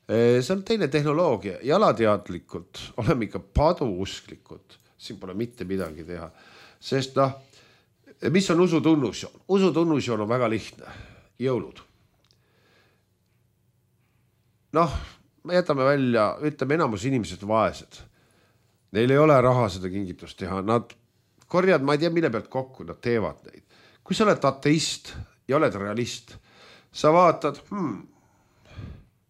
S2: See on teine tehnoloogia. Jalateadlikult oleme ikka paduusklikud. Siin pole mitte midagi teha. Sest mis on usutunnusjoon? Usutunnusjoon on väga lihtne. Jõulud. Me jätame välja, ütleme enamus inimesed vaesed. Neil ei ole raha seda kingitust teha. Nad korjad, ma ei tea, mille pealt kokku, nad teevad neid. Kui sa oled ateist ja oled realist, sa vaatad,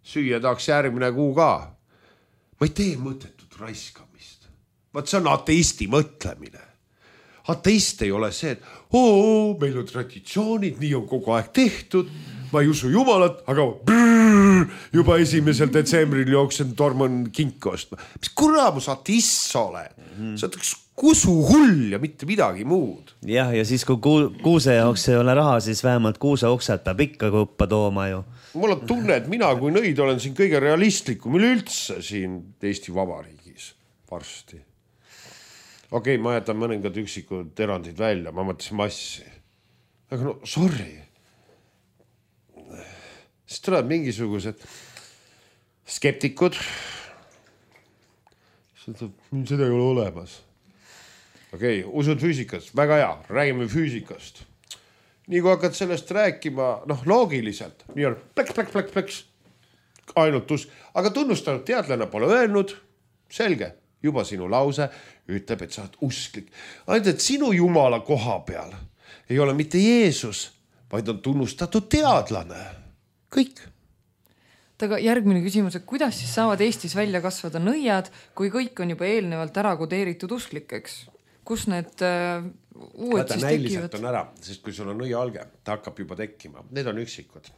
S2: süüa tahaks järgmine kuu ka. Ma ei tee mõttetut raiskamist. Vaat see on ateisti mõtlemine. Ateist ei ole see, et meil on traditsioonid, nii on kogu aeg tehtud, ma ei usu jumalat, aga juba 1. detsembril jooksen torman kinki ostma. Mis kuramus ateist sa oled? Sa oled üks kusuhull ja mitte midagi muud.
S1: Jah, ja siis kui kuuse jaoks ei ole raha, siis vähemalt kuuse oksad peab ikka kõppa tooma ju.
S2: Mul on tunne, et mina kui nõid olen siin kõige realistlikum üleüldse siin Eesti Vabariigis varsti. Okei, ma jätan mõningad üksikud erandid välja, ma mõtlesin massi. Aga no, sorry. Siis tulevad mingisugused skeptikud. Seda ei ole olemas. Okei, usud füüsikast, väga hea, räägime füüsikast. Nii kui hakkad sellest rääkima, loogiliselt, nii on pleks, ainult aga tunnustanud teadlane pole öelnud, selge, juba sinu lause ütleb, et sa oled usklik. Ainult, et sinu jumala koha peal ei ole mitte Jeesus, vaid on tunnustatud teadlane. Kõik.
S3: Aga järgmine küsimus, et kuidas siis saavad Eestis välja kasvada nõiad, kui kõik on juba eelnevalt ära kodeeritud usklikeks? Kus need uued siis tekivad?
S2: On ära, sest kui sul on nõia alge, ta hakkab juba tekkima. Need on üksikud.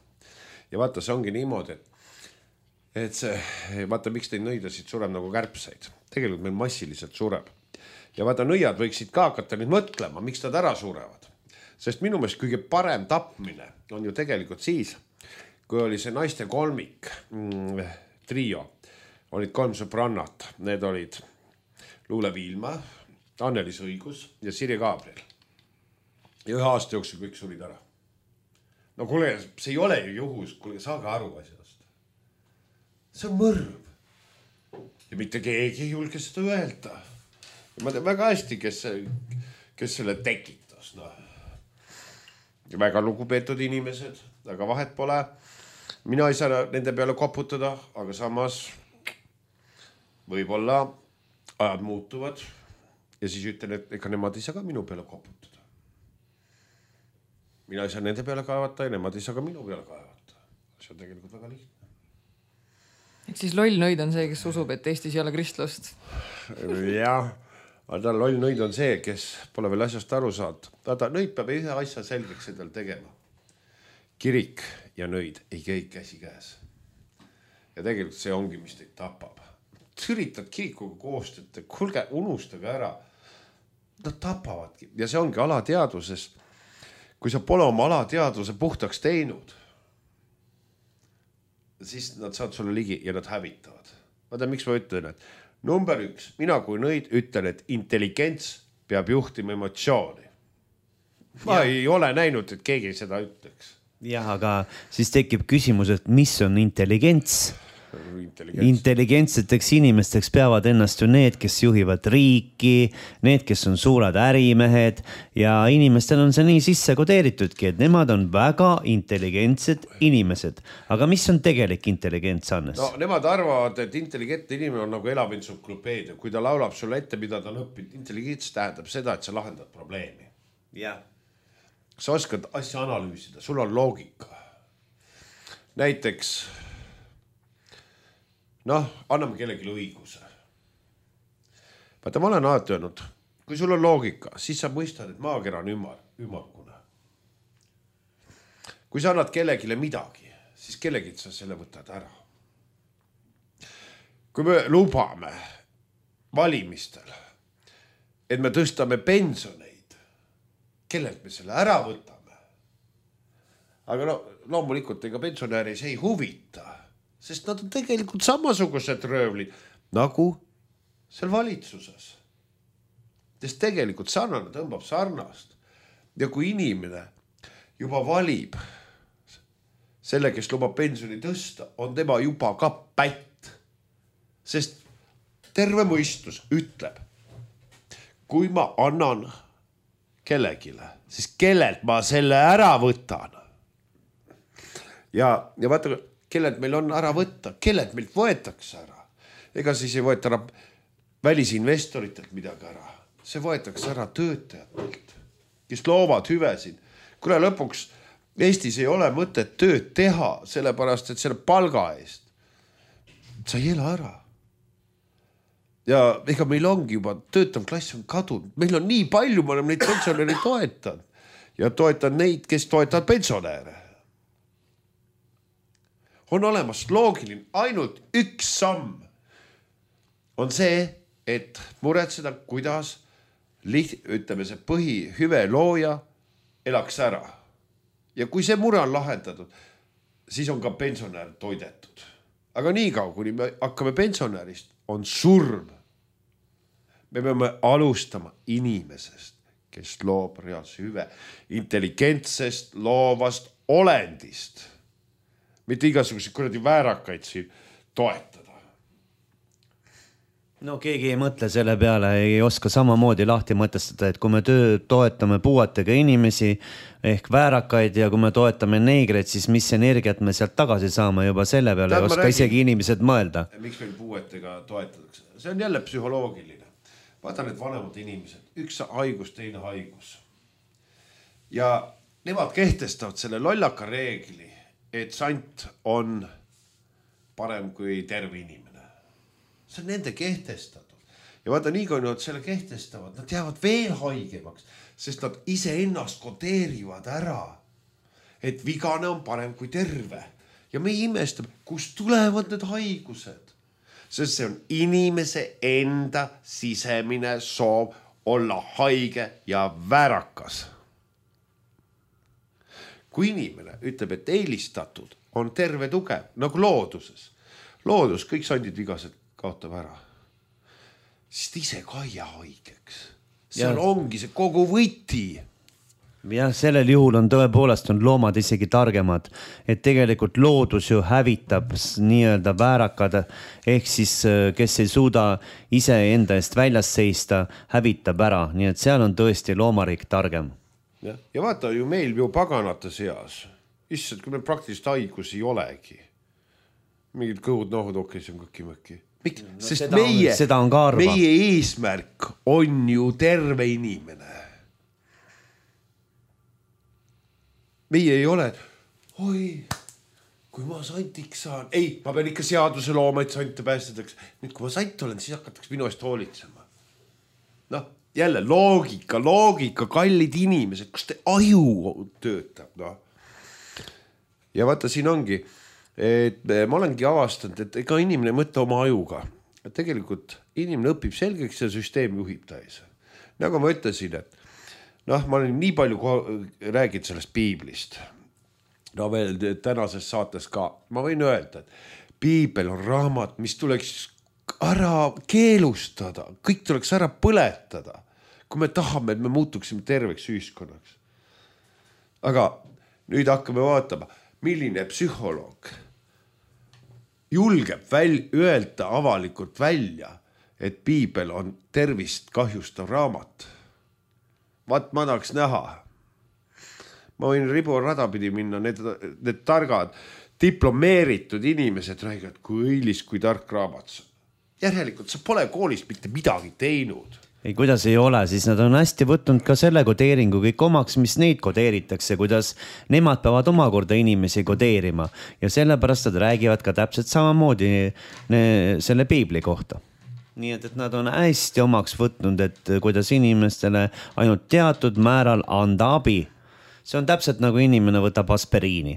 S2: Ja vaata, see ongi niimoodi, et see, vaata, miks teid nõidasid sureb nagu kärpseid. Tegelikult meil massiliselt sureb. Ja vaata, nõiad võiksid ka hakata nüüd mõtlema, miks nad ära surevad. Sest minu meelest kõige parem tapmine on ju tegelikult siis, kui oli see naiste kolmik, trio, olid 3 sõbrannat. Need olid Luule Viilma, Annelis Õigus ja Sirje Gabriel. Ja 1 aasta jooksul kõik surid ära. No kuule, see ei ole ju juhus, kuule, saage aru asjast. See on mõrv. Ja mitte keegi ei julge seda öelda. Ja ma tean väga hästi, kes selle tekitas. No. Ja väga lugupeetud inimesed, aga vahet pole. Mina ei saa nende peale koputada, aga samas võib-olla ajad muutuvad. Ja siis ütlen, et ega nemad ei saa ka minu peale koputada. Mina ei saa nende peale kaevata ja nemad ei saa ka minu peale kaevata. See on tegelikult väga lihtne.
S3: Et siis loll nõid on see, kes usub, et Eestis ei ole kristlust.
S2: Jah, aga loll nõid on see, kes pole veel asjast aru saanud. Vaata, nõid peab ise asja selgeks endal tegema. Kirik ja nõid ei käi käsi käes. Ja tegelikult see ongi, mis teid tapab. Üritad kirikuga koostööd, kulge, unustage ära. Nad tapavadki. Ja see ongi alateaduses. Kui sa pole oma alateaduse puhtaks teinud, siis nad saavad sulle ligi ja nad hävitavad. Vaata, miks ma ütlen, et number 1, mina kui nõid ütlen, et intelligents peab juhtima emotsiooni. Ma ei ole näinud, et keegi seda ütleks.
S1: Jah, aga siis tekib küsimus, et mis on intelligents? Intelligentseteks inimesteks peavad ennast ju need, kes juhivad riiki, need, kes on suured ärimehed ja inimestel on see nii sisse kodeeritudki, et nemad on väga intelligentsed inimesed. Aga mis on tegelik intelligents, Hannes?
S2: No, nemad arvavad, et intelligentne inimene on nagu elav entsüklopeedia. Kui ta laulab sulle ette, mida ta on õppinud, intelligents tähendab seda, et sa lahendad probleemi.
S1: Jah.
S2: Sa oskad asja analüüsida, sul on loogika. Näiteks anname kellelegi õiguse. Vaata, ma olen alati öelnud, kui sul on loogika, siis sa mõistad, et maakera on ümmargune. Kui sa annad kellegile midagi, siis kellelgi sa selle võtad ära. Kui me lubame valimistel, et me tõstame pensioneid, kellelt me selle ära võtame. Aga loomulikult ega pensionäri see ei huvita. Sest nad on tegelikult samasugused röövlid nagu seal valitsuses. Sest tegelikult sarnane tõmbab sarnast. Ja kui inimene juba valib selle, kes lubab pensioni tõsta, on tema juba ka pätt. Sest terve mõistus ütleb, kui ma annan kellegile, siis kellelt ma selle ära võtan. Ja vaata, kellelt meil on ära võtta, kellelt meilt võetakse ära. Ega siis ei võeta ära välisinvestoritelt midagi ära. See võetakse ära töötajatelt, kes loovad hüvesid. Kuule, lõpuks Eestis ei ole mõtet tööd teha, sellepärast, et selle palga eest sa ei ela ära. Ja ega meil ongi juba töötav klass on kadunud. Meil on nii palju, ma olen neid pensionäri toetan. Ja toetan neid, kes toetavad pensionäre. on olemas loogiline, ainult üks samm on see, et muretseda, kuidas ütleme see põhihüve looja elaks ära. Ja kui see mure on lahendatud, siis on ka pensionär toidetud. Aga nii kaua, kuni me hakkame pensionärist, on surm. Me peame alustama inimesest, kes loob reaalse hüve, intelligentsest, loovast olendist. Mitte igasuguseid kuradi väärakaid siin toetada.
S1: No keegi ei mõtle selle peale, ei oska samamoodi lahti mõtestada, et kui me toetame puuetega inimesi ehk väärakaid ja kui me toetame neegreid, siis mis energiat me sealt tagasi saame juba selle peale, ei oska isegi inimesed mõelda.
S2: Miks meil puuetega toetatakse? See on jälle psühholoogiline. Vaata need vanemad inimesed, üks haigus, teine haigus. Ja nemad kehtestavad selle lollaka reegli, et sant on parem kui terve inimene. See on nende kehtestatud. Ja vaata, nii kui nad selle kehtestavad, nad jäävad veel haigemaks, sest nad ise ennast kodeerivad ära, et vigane on parem kui terve. Ja me imestame, kust tulevad need haigused. Sest see on inimese enda sisemine soov olla haige ja väärakas. Kui inimene ütleb, et eelistatud on terve tugev, nagu looduses. Loodus, kõik sandid vigased kaotab ära. Siis ta ise ka ei jää haigeks. Seal ongi see kogu võti.
S1: Ja sellel juhul on tõepoolest on loomad isegi targemad, et tegelikult loodus ju hävitab nii-öelda väärakad, ehk siis kes ei suuda ise enda eest väljas seista, hävitab ära, nii et seal on tõesti loomariik targem.
S2: Ja vaata ju meil ju paganate seas, issand, kui meil praktiliselt haigus ei olegi. Mingid kõhud, nohud, okei, see on kõki-mõki. Sest meie eesmärk on ju terve inimene. Meie ei ole, oi, kui ma santiks saan. Ei, ma pean ikka seaduse looma, et sante päästetaks. Nüüd, kui ma sant olen, siis hakataks minu eest hoolitsema. Noh, jälle loogika, kallid inimesed, kus te aju töötab. No. Ja vaata, siin ongi, et ma olengi avastanud, et ega inimene mõtle oma ajuga. Et tegelikult inimene õpib selgeks ja süsteem juhib täis. Nagu ma ütlesin, et ma olen nii palju räägid sellest piiblist. No veel tänases saates ka. Ma võin öelda, et piibel on raamat, mis tuleks ära keelustada. Kõik tuleks ära põletada, kui me tahame, et me muutuksime terveks ühiskonnaks. Aga nüüd hakkame vaatama, milline psühholoog julgeb öelda avalikult välja, et piibel on tervist kahjustav raamat. Vaat ma tahaks näha. Ma võin ribu radapidi minna, need targad, diplomeeritud inimesed räägivad, kui õilis, kui tark raamat. Järelikult sa pole koolist mitte midagi teinud.
S1: Ei, kuidas ei ole, siis nad on hästi võtnud ka selle kodeeringu kõik omaks, mis neid kodeeritakse, kuidas nemad peavad omakorda inimesi kodeerima. Ja sellepärast nad räägivad ka täpselt samamoodi selle piibli kohta. Nii et nad on hästi omaks võtnud, et kuidas inimestele ainult teatud määral anda abi. See on täpselt nagu inimene võtab aspiriini.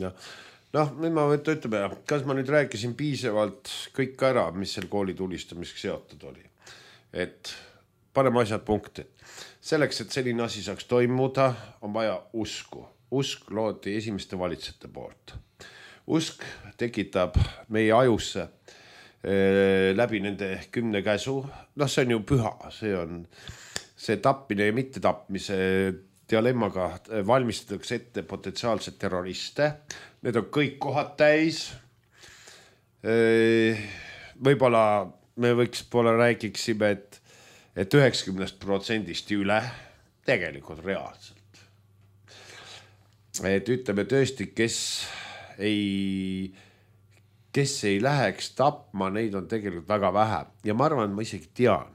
S2: Nüüd ma ütleme, kas ma nüüd rääkisin piisavalt kõik ära, mis seal kooli tulistamiseks seotud oli. Et paneme asjad punkti. Selleks, et selline asi saaks toimuda, on vaja usku. Usk loodi esimeste valitsejate poolt. Usk tekitab meie ajusse läbi nende 10 käsu. See on ju püha, see on see tapmine ja mitte tapmise dilemmaga valmistatakse ette potentsiaalsed terroriste. Need on kõik kohad täis. Võib-olla me räägiksime, et 90% üle tegelikult reaalselt. Et ütleme tõesti, kes ei läheks tapma, neid on tegelikult väga vähe. Ja ma arvan, et ma isegi tean,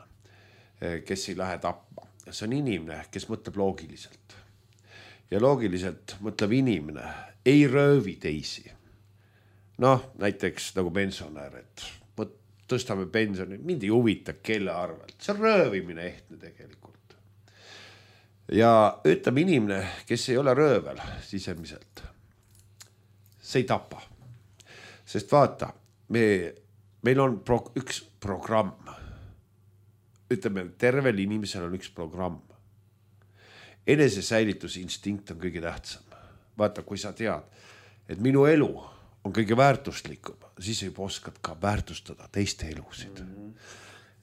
S2: kes ei lähe tapma. See on inimene, kes mõtleb loogiliselt. Ja loogiliselt mõtleb inimene, ei röövi teisi. Näiteks nagu pensionär, et tõstame pensioni, mind ei huvita kelle arvelt. See on röövimine ehtne tegelikult. Ja ütleme inimene, kes ei ole röövel sisemiselt, see ei tapa. Sest vaata, meil on üks programm. Ütleme, tervel inimesel on üks programm. Enesesäilitusinstinkt on kõige tähtsam. Vaata, kui sa tead, et minu elu on kõige väärtuslikum, siis juba oskad ka väärtustada teiste elusid.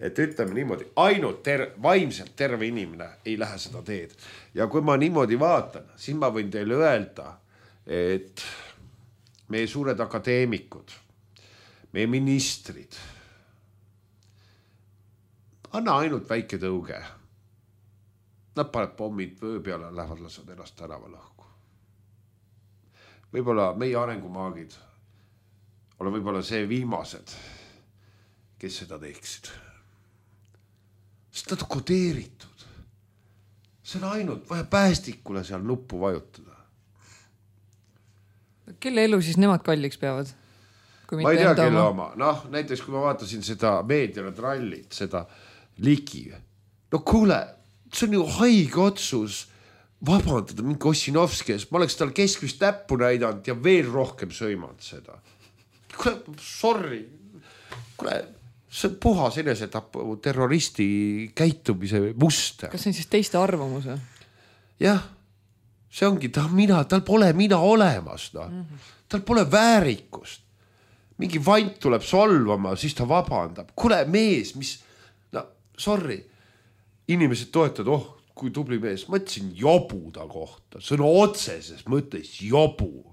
S2: Et ütleme niimoodi, ainult vaimselt terve inimene ei lähe seda teed. Ja kui ma niimoodi vaatan, siis ma võin teile öelda, et meie suured akadeemikud, meie ministrid, anna ainult väike tõuge. Nad paneb pommid vöö peale, lähevad lasvad ennast tänaval õhku. Võib-olla meie arengumaagid ole võib-olla see viimased, kes seda teeksid. Sest nad on kodeeritud. See on ainult vaja päästikule seal nuppu vajutada.
S3: Kelle elu siis nemad kalliks peavad?
S2: Ma ei tea, kelle oma. Noh, näiteks kui ma vaatasin seda meediale trallit, seda ligi. No kuule, see on ju haige otsus vabandada mingi Ossinovski ees. Ma oleks tal keskvist täppu näidanud ja veel rohkem sõimanud seda. Kuule, sorry. Kuule, see on puhas enesetapu terroristi käitumise muster.
S3: Kas see on siis teiste arvamus?
S2: Jah, see ongi tal pole mina olemas. No. Tal pole väärikust. Mingi vant tuleb solvama, siis ta vabandab. Kuule, mees, mis... No, sorry. Inimesed toetavad, kui tubli mees. Ma ütlesin jobu ta kohta. See on otseses mõttes jobu.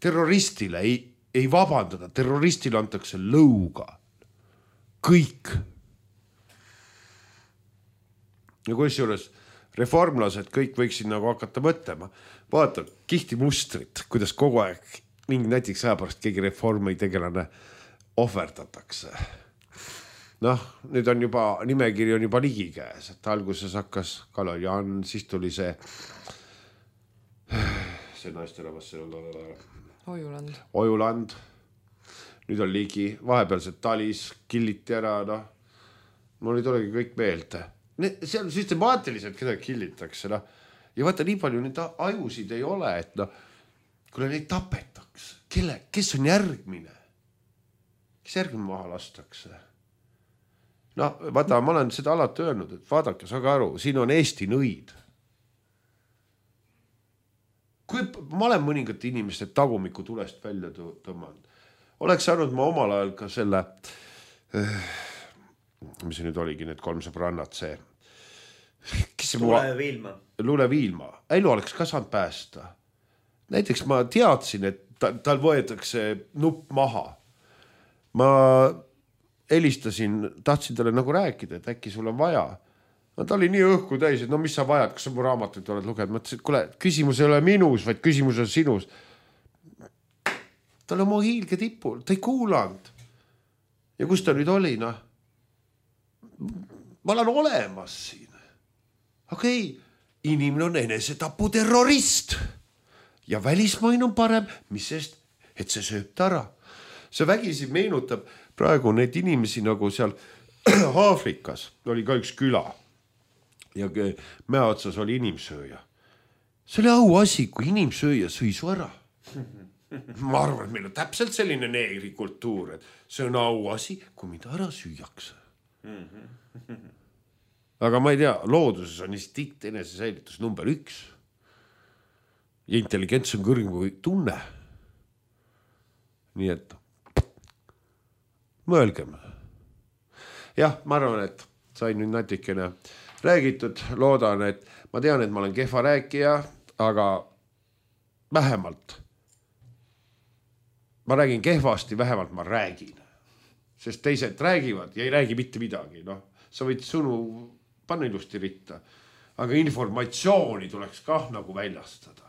S2: Terroristile ei vabandada. Terroristile antakse lõuga. Kõik. Ja kui juures reformlased kõik võiksid nagu hakata mõtlema. Vaata, kihti mustrit, kuidas kogu aeg mingi näiteks aja pärast keegi reformi tegelane ohverdatakse. Noh, nüüd on juba, nimekiri on juba ligi käes, et alguses hakkas Kalojan, siis tuli see naisterahvas, Ojuland. Nüüd on ligi, vahepealsed talis, killiti ära, noh. Mul ei tulegi kõik meelde. See on süstemaatiliselt, keda killitakse, noh. Ja vaata, nii palju neid ajusid ei ole, et noh, kuule neid tapetaks. Kes on järgmine? Kes järgmine maha lastakse? No, vaata, ma olen seda alati öelnud, et vaadake, saage aru, siin on Eesti nõid. Kui ma olen mõningate inimeste tagumiku tulest välja tõmmanud, oleks saanud ma omal ajal ka selle, mis see nüüd oligi, need 3 sõbrannad, see. Luule Viilma. Elu oleks ka saanud päästa. Näiteks ma teadsin, et tal võetakse nupp maha. Ma helistasin, tahtsin talle nagu rääkida, et äkki sul on vaja. No, ta oli nii õhku täis, et no mis sa vajad, kas sa mu raamatuid oled lugenud? Ma ütlesin, et kuule, küsimus ei ole minus, vaid küsimus on sinus. Ta oli oma hiilge tipul, ta ei kuulanud. Ja kus ta nüüd oli, noh? Ma olen olemas siin. Okei, inimene on enesetapu terrorist. Ja välismain on parem, mis sest, et see sööb ta ära. See vägisi meenutab praegu neid inimesi nagu seal Aafrikas. Oli ka üks küla ja mäe otsas oli inimsööja. See oli au asi, kui inimsööja sõi su ära. Ma arvan, et meil on täpselt selline neegri kultuur, et see on au asi, kui mida ära süüakse. Aga ma ei tea, looduses on instinkt enesesäilitus number 1. Ja intelligents on kõrgem kui tunne. Nii et mõelgem. Jah, ma arvan, et sain nüüd natikene räägitud. Loodan, et ma tean, et ma olen kehva rääkija, aga vähemalt ma räägin kehvasti, vähemalt ma räägin. Sest teised räägivad ja ei räägi mitte midagi. No, sa võid sõnu panna ilusti ritta, aga informatsiooni tuleks kah nagu väljastada.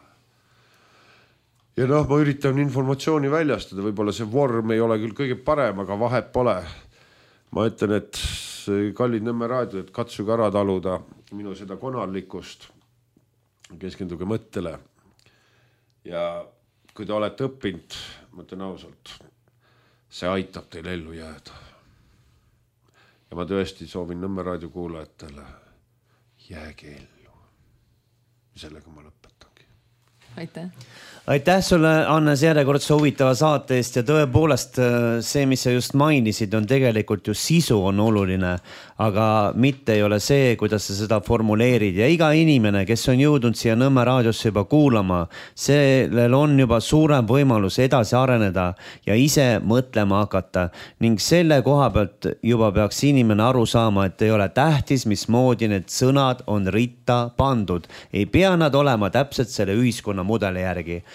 S2: Ja noh, ma üritan informatsiooni väljastada, võib-olla see vorm ei ole küll kõige parem, aga vahet pole. Ma ütlen, et kallid Nõmme raadio, et katsuge ära taluda minu seda konarlikkust, keskenduge mõttele. Ja kui te olete õppinud, ma ütlen ausalt, see aitab teil ellu jääda. Ja ma tõesti soovin Nõmme raadio kuulajatele, jääge ellu. Sellega ma lõpetangi.
S1: Aitäh sulle, Hannes, järjekordse huvitava saate eest ja tõepoolest see, mis sa just mainisid, on tegelikult ju sisu on oluline, aga mitte ei ole see, kuidas sa seda formuleerid ja iga inimene, kes on jõudnud siia Nõmme raadiosse juba kuulama, sellel on juba suurem võimalus edasi areneda ja ise mõtlema hakata ning selle koha pealt juba peaks inimene aru saama, et ei ole tähtis, mismoodi need sõnad on ritta pandud. Ei pea nad olema täpselt selle ühiskonna mudeli järgi.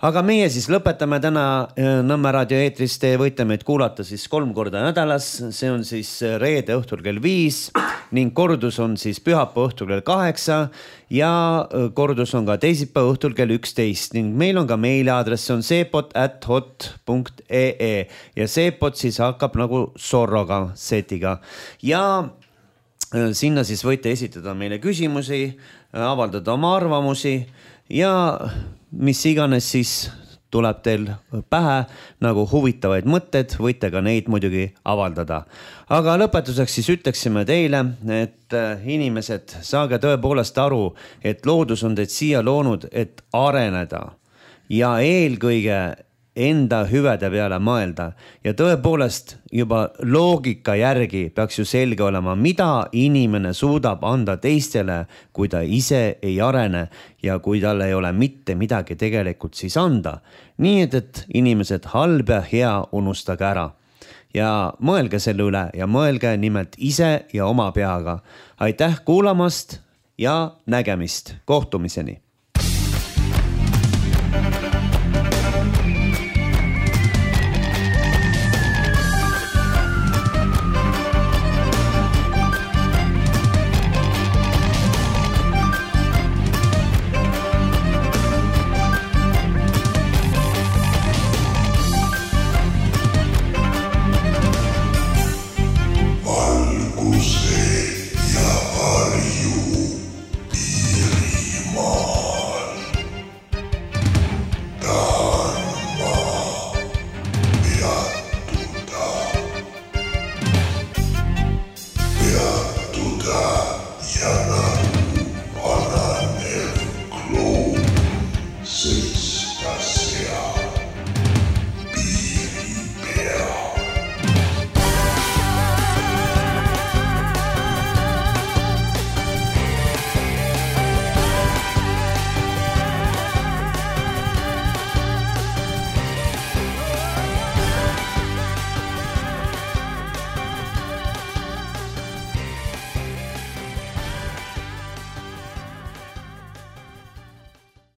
S1: Aga meie siis lõpetame täna Nõmme raadio eetris, te võite meid kuulata siis 3 korda nädalas, see on siis reede õhtul kell 5 ning kordus on siis pühapäeva õhtul kell 8 ja kordus on ka teisipäeva õhtul kell 11 ning meil on ka meiliaadress, see on seepot@hot.ee ja seepot siis hakkab nagu sorroga, setiga ja sinna siis võite esitada meile küsimusi, avaldada oma arvamusi ja mis iganes siis tuleb teil pähe nagu huvitavaid mõtted, võite ka neid muidugi avaldada. Aga lõpetuseks siis ütleksime teile, et inimesed, saage tõepoolest aru, et loodus on teid siia loonud, et areneda ja eelkõige enda hüvede peale mõelda ja tõepoolest juba loogika järgi peaks ju selge olema, mida inimene suudab anda teistele, kui ta ise ei arene ja kui tal ei ole mitte midagi tegelikult siis anda. Nii et inimesed halb ja hea unustage ära ja mõelge selle üle ja mõelge nimelt ise ja oma peaga. Aitäh kuulamast ja nägemist, kohtumiseni!